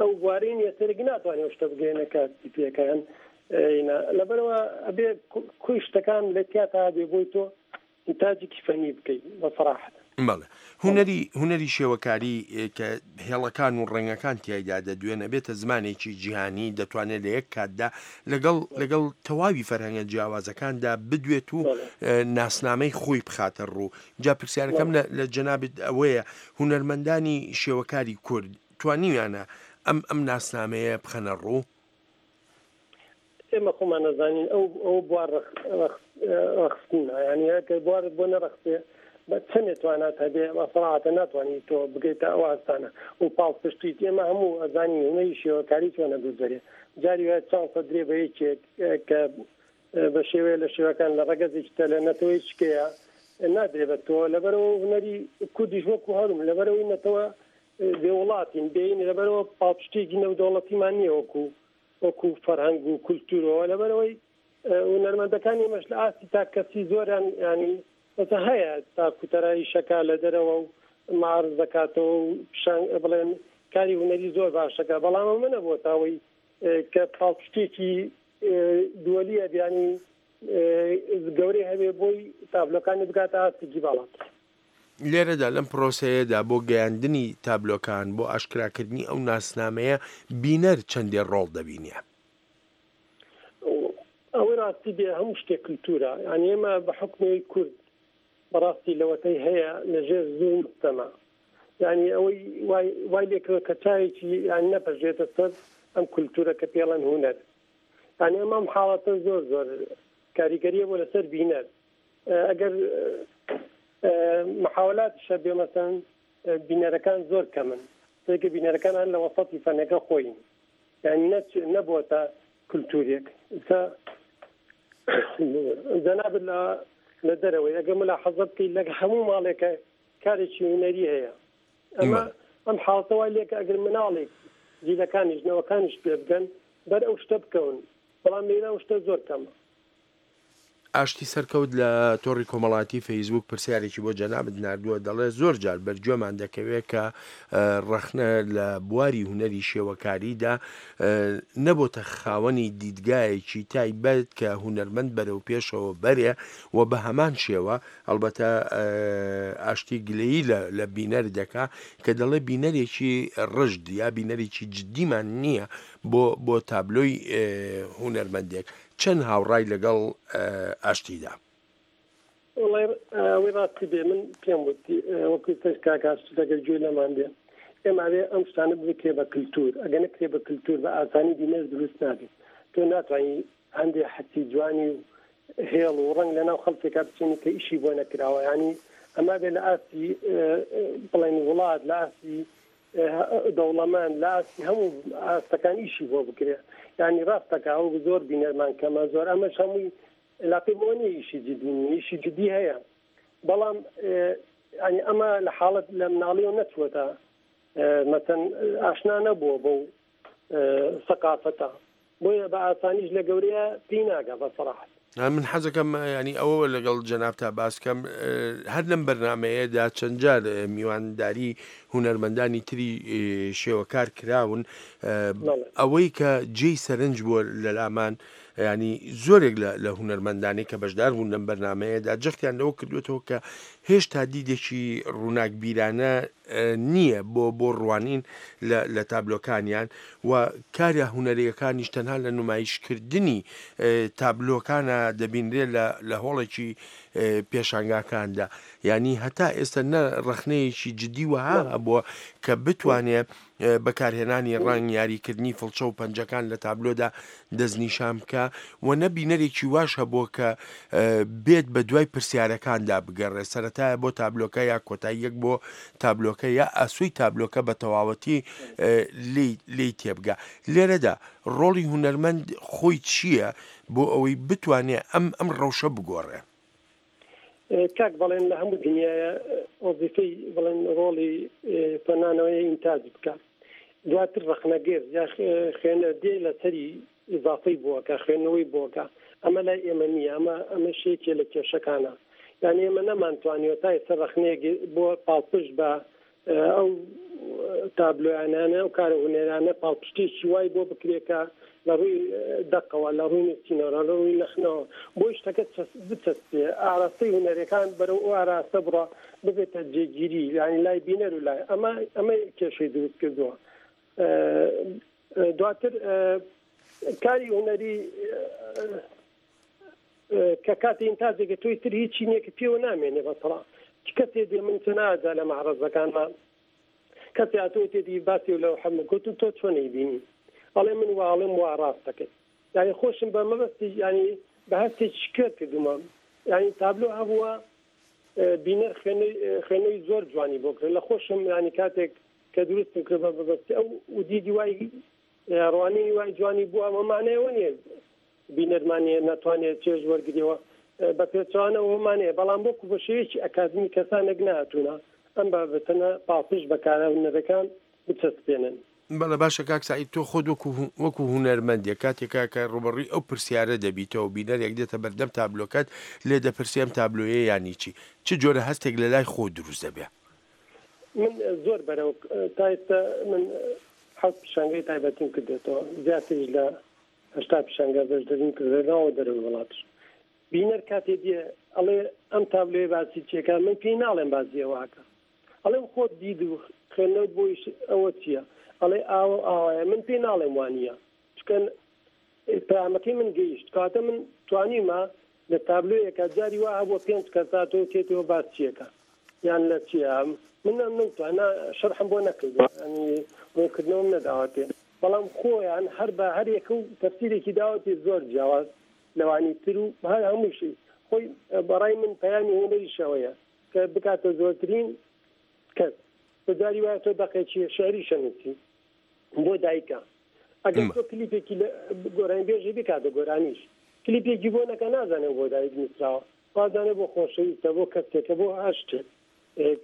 Q: ئەو بوارەی نییە، سێرەکی ناتوانێت ئەو شتە بگەیەنە کاتی پێکەیان. لەبەرەوە ئەبێ کوی شتەکان لە تیاتا بێ بۆی تۆ ئینتاجێکی فەنی بکەیت بە سەراحەت.
L: بەڵێ هونەری هونەری شێوەکاری کە هێڵەکان و ڕەنگەکان تیایدا دەدوێنە بێتە زمانێکی جیهانی، دەتوانێت لە یەک کاتدا لەگەڵ لەگەڵ تەواوی فەرهەنگە جیاوازەکاندا بدوێت و ناسنامەی خۆی بخاتە ڕوو. جا پرسیارەکەم لە جەنابت ئەوەیە هونەرمەندانی شێوەکاری کورد توانیویانە ئەم ئەم ناسنامەیە بخەنە ڕوو؟
Q: ئێمە خۆمان نەزانین ئەو ئەو بوار ڕەخستنە، یعنی ئەگەر بوارت بۆ نەڕەخسێ بە چەندێ توانات هەبێ بە سەراحەتە ناتوانیت تۆ بگەیتە ئەو ئاستانە و پاڵپشتیت. ئێمە هەموو ئەزانین هونەری شێوەکاری چۆنە گوزەرێ، جاری وایە چانسە درێ بە یەکێک کە بە شێوەیە لە شێوەکان لە ڕەگەزێکی تە لە نەتەوەی شکەیە نادرێ بە تۆ. لەبەرەوە هونەری کوردیش وەکو هەرم، لەبەرەوەی نەتەوە بێ وڵاتین بێین، لەبەرەوە پاڵپشتێکی نێودەوڵەتیمان نییە وەکو وەکو فەرهەنگ و کولتوورەوە. لەبەرەوەی هونەرمەندەکانی ئێمەش لە ئاستی تاکەسی زۆریان ینی ئەسە هەیە تاکوتەرایی شەکا لە دەرەوە و معارض دەکاتەوە و پیشان بڵێن کاری هونەری زۆر باشەکە، بەڵام ئەمە نەبووە تاوەی کە پاڵپشتێکی دووەلیە بیانی گەورەی هەبێ بۆی تابلۆکانی بگاتە ئاستێکی باڵا.
L: لێرەدا لەم پرۆسەیەدا بۆ گەیاندنی تابلۆکان، بۆ ئاشکراکردنی ئەو ناسنامەیە، بینەر چەندێ ڕۆڵ دەبینێ؟
Q: ئەوەی ڕاستی بێ هەموو شتێک کللتورە، یعنی ئێمە بە حکومی کورد بەڕاستی لەوەتەی هەیە لەژێر زوڵم ستەمە، یعنی ئەوەی وای لێکرد کە چاوێکی یان نەپەژێتە سەر ئەم کللتورە کە پێڵەن هونەر، یعنی ئەم ئەم حاڵەتە زۆر زۆر کاریگەریە بۆ لەسەر بینەر. ئەگەر محاولاتیش هەبێ مەسەن بینەرەکان زۆر کەمن، تێکە بینەرەکان هەر لە وەسەتی فەنەکە خۆین، یعنی نەبووەتە کللتورێک. ئێستا جەنابت لە دەرەوەی ئەگەر ملاحەزە بکەیت لە هەموو ماڵێکە کارێکی هونەری هەیە، ئەمە ئەم حاڵەتە وای لێکە ئەگەر مناڵێک جیلەکانیش نەوەکانیش پێ بگەن بەر ئەو شتە بکەون، بەڵام لێرە ئەو شتە زۆر کەمە.
L: ئاشتی سەرکەوت لە تۆڕی کۆمەڵاتی فەیسبوک پرسیارێکی بۆ جەنابت ناردووە، دەڵێ زۆر جار بەرگوێمان دەکەوێت کە ڕەخنە لە بواری هونەری شێوەکاریدا نەبۆتە خاوەنی دیدگایەکی تایبەت کە هونەرمەند بەرەو پێشەوە بەرێ و بە هەمان شێوە ئەلبەتە ئاشتی گلەیی لە بینەر دەکا کە دەڵێ بینەرێکی ڕژد یا بینەرێکی جدیمان نییە بۆ بۆ تابلۆی هونەرمەندێک. چەند هاوڕای لەگەڵ ئاشتیدا؟
Q: وەڵای ئەوەی ڕاستی بێ من پێم وت وەکو سەر کاک ئاشتی لەگەر گوێ لەمان بێ، ئێمە ئەوێ ئەم شتانە بکرێ بە کللتور، ئەگەر نەکرێ بە کللتور بە ئاسانی بینەر دروست نابێت. تۆ ناتوانانی هەندێک حەسی جوانی و هێڵ و ڕەنگ لەناو خەڵکێکا بچێنی کە ئیشی بۆ نەکراوە، یعنی ئەمە بێ لە ئاستی بڵێن وڵات، لە ئاستی دەوڵەمەند، لە ئاستی هەموو ئاستەکان ئیشی بۆ بکرێ. یعنی ڕاستەکە ئەو زۆر بینەرمان کەمە زۆر، ئەمەش هەمووی علاقەی بۆ نییە ئیشی جدی نییە، ئیشی جدی هەیە، بەڵام یعنی ئەمە لە حاڵەت لە مناڵیەوە نەچووەتە مەسەن ئاشنا نەبووە بەو سەقافەتە، بۆیە بە ئاسانیش لە گەورەیە پێی ناگا بە سەراحەت.
L: من حەزەکەم ینی ئەوە لەگەڵ جەنابتا باسکەم، هەر لەم بەرنمەیەدا چەند جار میوانداری هونەرمەندانی تری شێوەکار کراون، ئەوەی کە جێی سەرنج بووە لە لامان، ینی زۆرێک لە هونەرمەندانی کە بەشدار بوون لەم بەرنمەیەدا جەختیان لەوە کردوێتەوە کە هێشتا دیدێکی ڕووناکبیرانە نییە بۆ بۆ ڕوانین لە تابلۆکانیان و کارە هونەریەکانیش تەنها لە نمایشکردنی تابلۆکانە دەبینرێت لە هۆڵێکی پێشانگاکاندا. یعنی هەتا ئێستا نە ڕەخنەیەکی جدی وەها هەبووە کە بتوانێت بەکارهێنانی ڕەنگ، یاریکردنی فڵچە و پەنجەکان لە تابلۆدا دەستنیشان بکە و نەبینەرێکی واش هەبووە کە بێت بە دوای پرسیارەکاندا بگەڕێ، سەرەتایە بۆ تابلۆکە یا کۆتاییەک بۆ تابلۆکە یا ئاسوی تابلۆکە بە تەواوەتی لێی تێبگا. لێرەدا ڕۆڵی هونەرمەند خۆی چییە بۆ ئەوەی بتوانێت ئەم ئەم ڕەوشە بگۆڕێ؟
Q: کاک بەڵێن لە هەموو دنیاە وەزیفەی بڵێن ڕۆڵی فەنانەوەی ئینتاج بکە، دواتر ڕەخنەگر یا خوێنەر دێ لەسەری ئیزافەی بووەکە، خوێندنەوەی بووەکە. ئەمە لای ئێمە نییە، ئەمە ئەمە شێکێ لە کێشەکانە. یعنی ئێمە نەمانتوانیوە تا ئێستا ڕەخنەیەک بۆ پاڵپشت بە ئەو تابلۆیانانە ئەو کارە هونەرانە پاڵپشتێکی وای بۆ بکرێکە لە ڕووی دەقەوە، لە ڕووی نووسینەوە، لە ڕووی لەخنەوە، بۆی شتەکە بچەسپێ، ئاراستەی هونەرەکان بەرەو ئەو ئاراستە بڕە ببێتە جێگیری، یعنی لای بینەر و لای ئەمە ئەمە کێشەی دروست کردووە. دواتر کاری هونەری کە کاتی ئینتاجێکە تۆی تر هیچی نییە کە پێوە نامێنێ بەسەڵا. کەسێ دێ من چەناجا لە مەعرەزەکانما کەسێ هاتووە تێدی باسی لەو حەمە گوتم تۆ چۆن ئەیبینی؟ ئەڵێ من وا ئەڵێم وا ڕاست دەکەی. یعنی خۆشم بە مەبەستی یعنی بە هەستێکی شکێت کردوومە. یعنی تابلۆ هەبووە بینەر خوێنەوەی زۆر جوانی بۆ کرد. لە خۆشم یعنی کاتێک کە دروستم کرد بە مەبەستی ئەو دیدی وای ڕوانینی وای جوانی بووە، ئەمە مانایەوە نییە بینەرمانیە ناتوانێت چێژ وەرگریەوە، بە پێچوانەوە مانەیە، بەڵام وەکو بە شێوەیەکی ئەکادمی کەسانێک نهاتوونە ئەم بابەتەنە پاڵپشت بە کارە هونەرەکان بچەسپێنن.
L: بەڵێ باشە کاک سعید، تۆ خۆت وەکو هونەرمەندێک کاتێکا کە ڕوبەڕووی ئەو پرسیارە دەبیتەوە، بینەرێک دێتە بەردەم تابلۆکەت لێ دەپرسێ ئەم تابلۆیە یانی چی، چ جۆرە هەستێک لە لای خۆ دروست دەبێ؟
Q: من زۆر بەرەو تا ئێستا من حەوت پیشانگەی تایبەتیم کردێتەوە، زیاتریش لە هەشتا پیشانگە بەشداریم کردووە ناوە دەرەوەی وڵاتش. بینەر کاتێ دێ ئەڵێ ئەم تابلۆیە باسی چیەکە، من پێی ناڵێم باسی ئەوەکە، ئەڵێم خۆت دید و خوێندنەوەت بۆ ئەوە چییە، ئەڵێ ئاوە ئاوایە، من پێی ناڵێم وانییە، چونکە پەیامەکەی من گەیشت. کاتە من توانیمە لە تابلۆیەکە جاری وا هەبووە پێنج کەس هاتەوە تێتەوە باس چیەکە یان لە چییە، من نەمتوانە شەرحم بۆ نەکردووە، ینی ڕوونکردنەوەم نەداوەتێ، بەڵام خۆیان هەر بە هەر یەکە و تەفسیرێکی داوەتێ زۆر جیاواز لەوانی تر و هەر هەمووشی خۆی بەڕای من پەیامی هونەریشەوەیە کە بکاتە زۆرترین کەس. بە جاری وایە تۆ دەقێکی شعری شەنووسی بۆ دایکە، ئەگەر تۆ کلیپێکی گۆرانیبێژی بکاتە گۆرانیش، کلیپێکی بۆ نەکە نازانێ بۆ دایک نووسراوە، وازانێ بۆ خۆشەویستە، بۆ کەسێکە، بۆ هەر شتێک،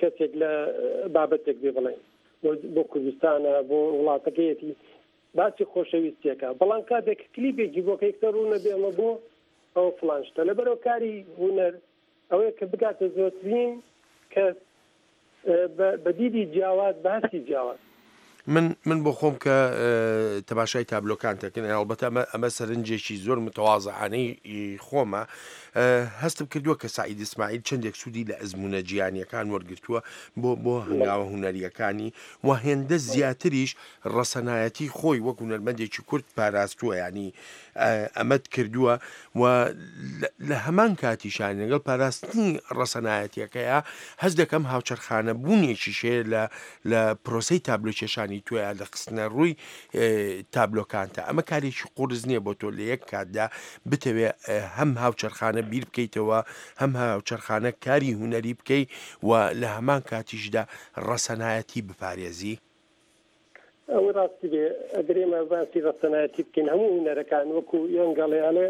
Q: کەسێک لە بابەتێک بێ بڵێن بۆ کوردستانە، بۆ وڵاتەکەیەتی، باسی خۆشەویستیەکە. بەڵام کاتێک کلیپێکی بۆ کە یەکسەر ڕوونە بێ ئەمە بۆ ئەو فڵان شتە. لەبەرەوە کاری هونەر ئەوەیە کە بگاتە زۆرترین کەس بە دیدی جیاواز، بە هەستی جیاواز.
L: من من بۆ خۆم کە تەماشای تابلۆکان دەکەن، ئەڵبەتە ئەمە ئەمە سەرنجێکی زۆر متەوازعانەی خۆمە، هەستم کردووە کە سعید ئیسماعیل چەندێک سوودی لە ئەزمونە جیهانیەکان وەرگرتووە بۆ بۆ هەنگاوە هونەریەکانی و هێندە زیاتریش ڕەسەنایەتی خۆی وەک هونەرمەندێکی کورد پاراستووە، ینی ئەمەت کردووە و لە هەمان کاتیشان لەگەڵ پاراستنی ڕەسەنایەتیەکەیە هەست دەکەم هاوچەرخانە بوونێکیش هەیە لە لە پرۆسەی تابلۆکێشانی تۆیا لە خستنە ڕووی تابلۆکانتە. ئەمە کارێکی قورس نییە بۆ تۆ لە یەک کاتدا بتەوێ هەم هاوچەرخانە بیر بکەیتەوە، هەم هاوچەرخانە کاری هونەری بکەی و لە هەمان کاتیشدا ڕەسەنایەتی بپارێزی.
Q: ئەوە ڕاستی بێ ئەگەر ئێمە باسی ڕەسەنایەتی بکەین، هەموو هونەرەکان وەکو یۆنگەڵێ ئەڵێ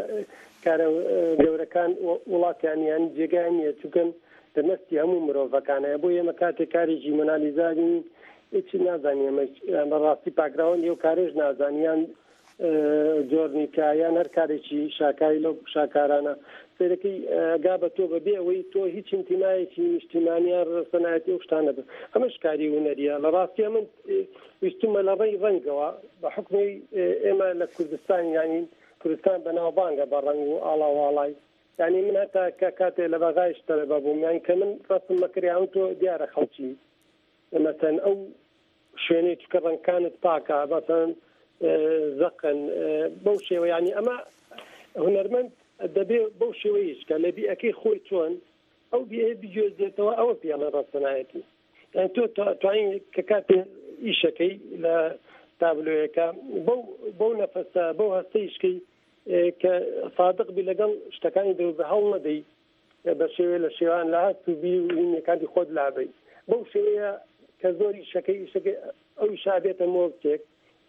Q: کارە گەورەکان وڵاتیان یان جێگای نییە، چونکە لە نەستی هەموو مرۆڤەکانەیە. بۆ ئێمە کاتێک کارێکی مۆنالیزا بینین هیچ نازانین، ئێمە بەڕاستی باکگراوندی ئەو کارێش نازانین، یان جۆرنیکا یان هەر کارێکی شاکاری لەو شاکارانە سەیرەکەی گا بە تۆ بەبێ ئەوەی تۆ هیچ ئینتیمایەکی نیشتیمانیان ڕەسەنایەتی ئەو شتانە بن. ئەمەش کاری هونەریە. لە ڕاستیە من ویستومە لە ڕێی ڕەنگەوە بە حکمی ئێمە لە کوردستان، یعنی کوردستان بەناوبانگە بە ڕەنگ و ئاڵا واڵای، یعنی من هەتا کە کاتێ لە بەغایش تەلەبە بووم، یعنی کە من ڕەسم مەکریان تۆ دیارە خەڵکی مەسەن ئەو شوێنەی چکە ڕەنگەکانت پاکە، مەسەن زەقن بەو شێوە، یعنی ئەمە هونەرمەند دەبێ بەو شێوەیش کە لە بیئەکەی خۆی چۆن ئەو بیئە بگوێزێتەوە، ئەوە پێڵێن ڕەسەنایەتی. یعنی تۆ توانین کە کاتێ ئیشەکەی لە تابلۆیەکە بەو بەو نەفەسە بەو هەستەیشکەی کە سادق بی لەگەڵ شتەکانی دەور هەوڵ نەدەی بە شێوەیە لە شێوان لە هەست و بیر و هینەکانی خۆت لابەی، بەو شێوەیە کە زۆر ئیشەکەی ئیشەکەی ئەو ئیشا بێتە مۆڵکێک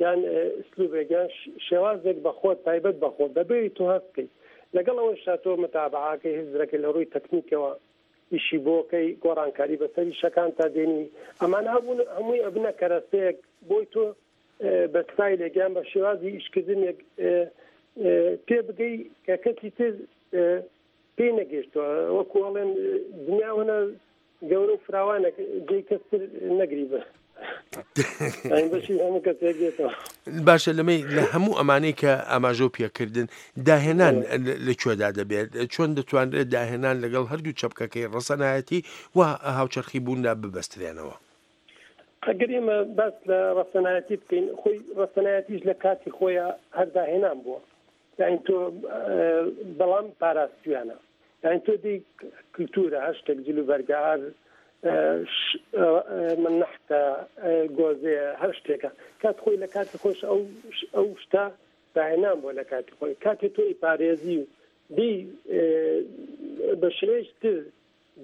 Q: یان ئسلوبێک یان شێوازێک بە خۆت تایبەت بە خۆت بەبێ تۆ هەست بکەیت. لەگەڵ ئەوەشا تۆ متابعاکەی هزرەکەی لە ڕووی تەکنیکەوە ئیشی بۆکەی گۆڕانکاری بەسەری شەکان تا دێنی، ئەمانە هەبوون هەمووی ئەبنە کەرەسەیەک بۆی تۆ بە ستایلێک یان بە شێوازی ئیشکردنێک پێ بگەی کە کەسی تر پێی نەگەیشتووە. وەکو ئەڵێن دنیا وەنە گەورە و فراوانە جێی کەس تر نەگری بە
L: باشە. لەمەی لە هەموو ئەمانەی کە ئاماژە و پێکردن داهێنان لە کوێدا دەبێت؟ چۆن دەتوانرێت داهێنان لەگەڵ هەردوو چەپکەکەی ڕەسەنایەتی و هاوچەرخی بووندا ببەسترێنەوە؟
Q: ئەگەر ئێمە باس لە ڕەسەنایەتی بکەین، خۆی ڕەسەنایەتیش لە کاتی خۆیان هەر داهێنان بووە، یعنی تۆ بەڵام پاراستویانە، یعنی تۆ دی کلتورە هەر شتێک جلوبەرگە، هەر من نەحتە گۆزەیە، هەر شتێکە کات خۆی لە کاتی خۆش ئەو ئەو شتە داهێنان بووە لە کاتی خۆی. کاتێ تۆی پارێزی و دی بە شێوەیەکی تر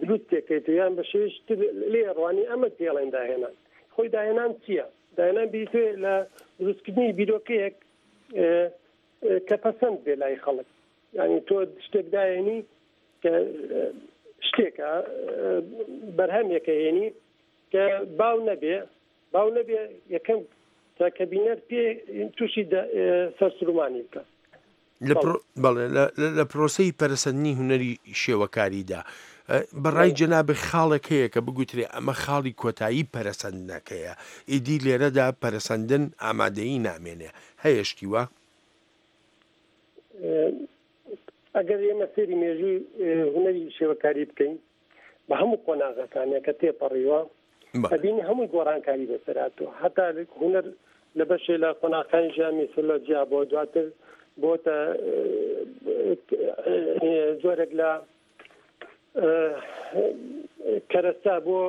Q: دروست تێکەیت یان بە شێوەیەکی تر لێ ڕوانی، ئەمە پێڵێن داهێنان. خۆی داهێنان چییە؟ داهێنان بیرتێ لە دروستکردنی بیرۆکەیەک کە پەسەند بێ لای خەڵک. یعنی تۆ شتێک داهێنی کە شتێکە بەرهەمێکە هێنی کە باو نەبێ، باو نەبێ یەکەم تا کە بینەر پێ تووشی سەرسرومانی بکە.
L: بەڵێ لە پرۆسەی پەرەسەندنی هونەری شێوەکاریدا بەڕای جەنابت خاڵێک هەیە کە بگوترێ ئەمە خاڵی کۆتایی پەرەسەندنەکەیە، ئیدی لێرەدا پەرەسەندن ئامادەیی نامێنێ، هەیە شتی وا؟
Q: ئەگەر ئێمە سەیری مێژووی هونەری شێوەکاری بکەین بە هەموو قۆناغەکانە کە تێپەڕیوە ئەبینی هەمووی گۆڕانکاری بەسەر هاتووە. هەتا هونەر لە بەشێ لە قۆناغەکانی ژیان میسۆلۆجیا بۆ دواتر بۆتە جۆرێک لە کەرەسە بۆ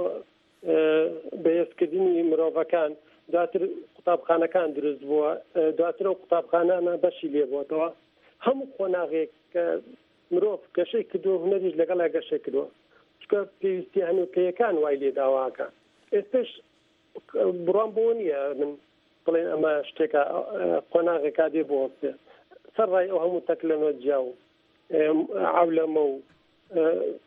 Q: بەهێزکردنی مرۆڤەکان، دواتر قوتابخانەکان دروست بووە، دواتر ئەو قوتابخانانە بەشی لێبووەتەوە. هەموو قۆناغێک کە مرۆڤ گەشەی کردووە هونەریش لەگەڵا گەشەی کردووە، چونکە پێویستی هەنووکەیەکان وای لێ داواکە. ئێستش بڕوام بۆ نییە من بڵێن ئەمە شتێکە قۆناغێکا دێ بۆ سەر ڕای ئەو هەموو تەکنەلۆجیا و عەولەمە و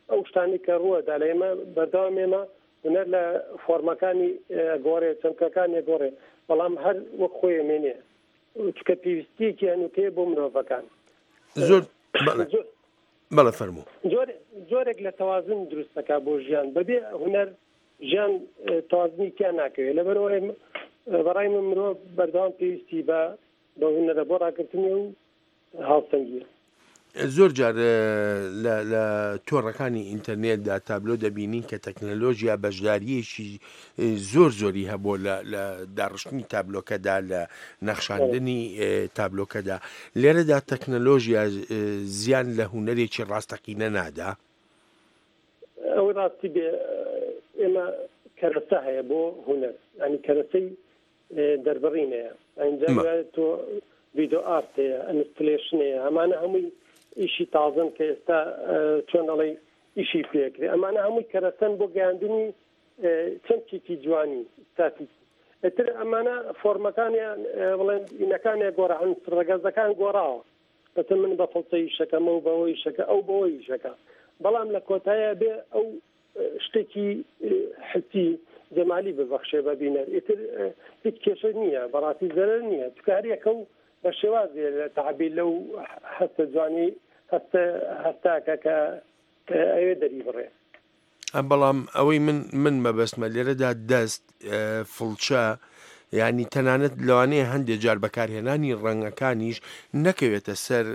Q: ئەو شتانی کە ڕووەدا لە ئێمە بەردەوام ئێمە هونەر لە فۆرمەکانی گۆڕێ، چەمکەکانی گۆڕێ، بەڵام هەر وەک خۆی مێنێ، چونکە پێویستیەکی هەنووکەیە بۆ مرۆڤەکان.
L: زۆر بەڵێ فەرموو.
Q: جۆرێک لە تەوازن دروست دەکا بۆ ژیان، بەبێ هونەر ژیان تەوازنی تیا ناکەوێت. لەبەرئەوەی بەڕای من مرۆڤ بەردەوام پێویستی بە بە هونەرە بۆ ڕاگرتنی و هاوسەنگیە.
L: زۆر جار لە لە تۆڕەکانی ئینتەرنێتدا تابلۆ دەبینین کە تەکنەلۆژیا بەشدارییەکی زۆر زۆری هەبووە لە لە داڕشتنی تابلۆکەدا، لە نەخشاندنی تابلۆکەدا. لێرەدا تەکنەلۆژیا زیان لە هونەرێکی ڕاستەقینە نادا؟
Q: ئەوەی ڕاستی بێ ئێمە کەرەسە هەیە بۆ هونەر، ینی کەرەسەی دەربڕین هەیە. ئینجا تۆ ڤیدۆ ئارت هەیە، installation هەیە، ئەمانە هەمووی ئیشی تازن کە ئێستا چۆن ئەڵێی ئیشی پێکرێ. ئەمانە هەمووی کەرەسەن بۆ گەیاندنی چەمکێکی جوانی ستاتیکی. ئیتر ئەمانە فۆرمەکانیان بڵێن ئینەکانیان گۆڕا، ڕەگەزەکان گۆڕاوە. بەتە من بە فڵچە ئیشەکەم و بەوە ئیشەکە ئەو بەوە ئیشەکە، بەڵام لە کۆتایە بێ ئەو شتێکی حسی جەمالی ببەخشێ بە بینەر. ئیتر هیچ کێشە نییە، بەڕاستی زەرەر نییە، چونکە هەریەکە و بە شێوازێ لە تعبیر لەو هەستە جوانی هەستە هەستاکە کە ئەوێ دەری بڕێ.
L: بەڵام ئەوەی من من مەبەستمە لێرەدا دەست فڵچە، ینی تەنانەت لەوانەیە هەندێک جار بەکارهێنانی ڕەنگەکانیش نەکەوێتە سەر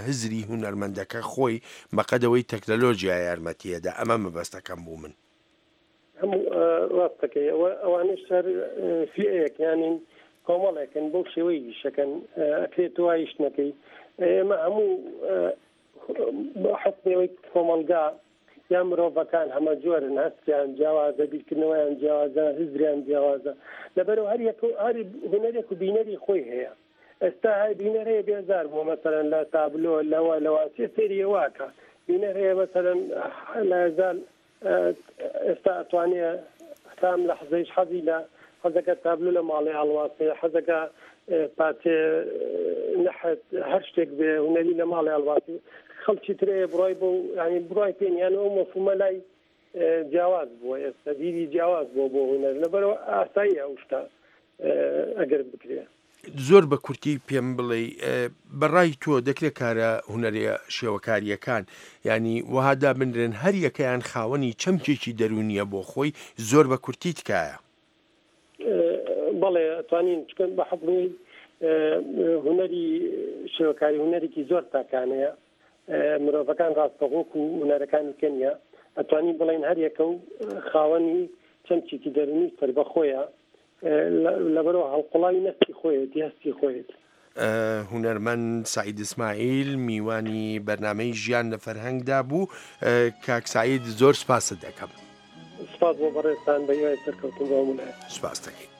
L: هزری هونەرمەندەکە خۆی بەقەدەوەی تەکنەلۆژیا یارمەتیەدا. ئەمە مەبەستەکەم بوو من.
Q: هەموو ڕاستەکەی ئەوانەش هەر فیئەیەک یانین کۆمەڵێکن بەو شێوەی ئیشەکەن، ئەکرێت تۆ وایش نەکەی. ئێمە هەموو حکمەوەی کۆمەڵگا یا مرۆڤەکان هەمە جۆرن، هەستیان جیاوازە، بیرکردنەوەیان جیاوازە، هزریان جیاوازە. لەبەرەوە هەر یەک هەر هونەرێک و بینەری خۆی هەیە. ئێستا هەر بینەر هەیە بێزار بووە مەسەلەن لە تابلۆ لەوە لەوە چێ سەیری واکە، بینەر هەیە مەسەلەن لە ئێستا ئەتوانێ هەتا ئەم لەحزەیش حەزی لە حەزەکە تابلۆ لە ماڵێ هەڵواسێ، حەزەکە پارچێ نەحت هەر شتێک بێ هونەری لە ماڵێ هەڵواسێ. خەڵکی ترەیە بڕای بۆ ینی بڕای پێ یان ئەو مەفهومە لای جیاواز بووە، ئێستا دیدی جیاواز بووە بۆ هونەر. لەبەرەوە ئاساییە ئەو شتە ئەگەر بکرێ.
L: زۆر بە کورتی پێم بڵێ بەڕای تۆ دەکرێت کارە هونەریە شێوەکاریەکان ینی وەها دابنرێن هەر یەکەیان خاوەنی چەمکێکی دەرونیە بۆ خۆی؟ زۆر بە کورتی تکایە.
Q: بەڵێ توانین، چکە بە حکمی هونەری شێوەکاری هونەرێکی زۆر تاکانەیە، مرۆڤەکان ڕاستەوخۆک و هونەرەکانی کەنیە، ئەتوانین بڵێن هەر یەکە و خاوەنی چەمکێکی دەرونی سەربەخۆیە، لەبەرەوە هەڵقوڵاوی نەستی خۆیەتی، هەستی خۆیەتی.
L: هونەرمەند سعید ئیسماعیل میوانی بەرنامەی ژیان لە فەرهەنگدا بوو. کاک سعید زۆر سپاست دەکەم.
Q: سپاس بۆ بەڕێزتان، بە هیوای سەرکەوتن بۆ هەموو لایەک.
L: سپاس دەکەین.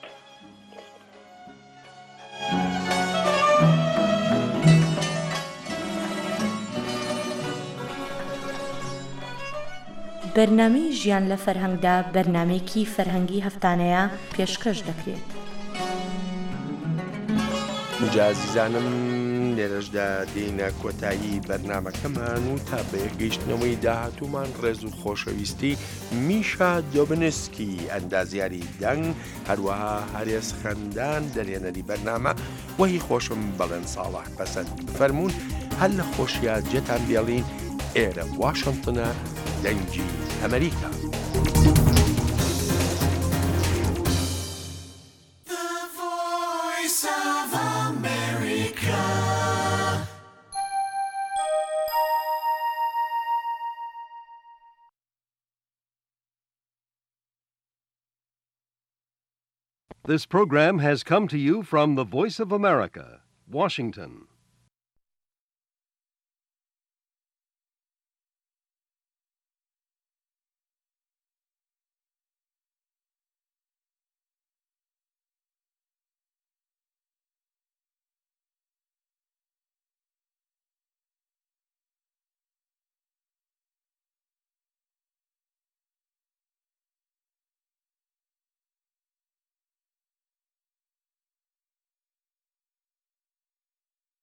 B: بەرنامەی ژیان لە فەرهەنگدا بەرنامەیەکی فەرهەنگی هەفتانەیە پێشکەش دەکرێت.
L: جا ئازیزانم لێرەشدا دێینە کۆتایی بەرنامەکەمان و تا بە یەکگەیشتنەوەی داهاتوومان ڕێز و خۆشەویستی میشا دۆبنسکی ئەندازیاری دەنگ، هەروەها هەرێز خەندان دەرێنەری بەرنامە وەهی خۆشم بەڵێن ساڵح پەسەند. بفەرموون هەر لە خۆشیا جێتان بێڵین. ئێرە واشنگتنە، دەنگی ئەمەریکا.
A: This program has come to you from the Voice of America, Washington.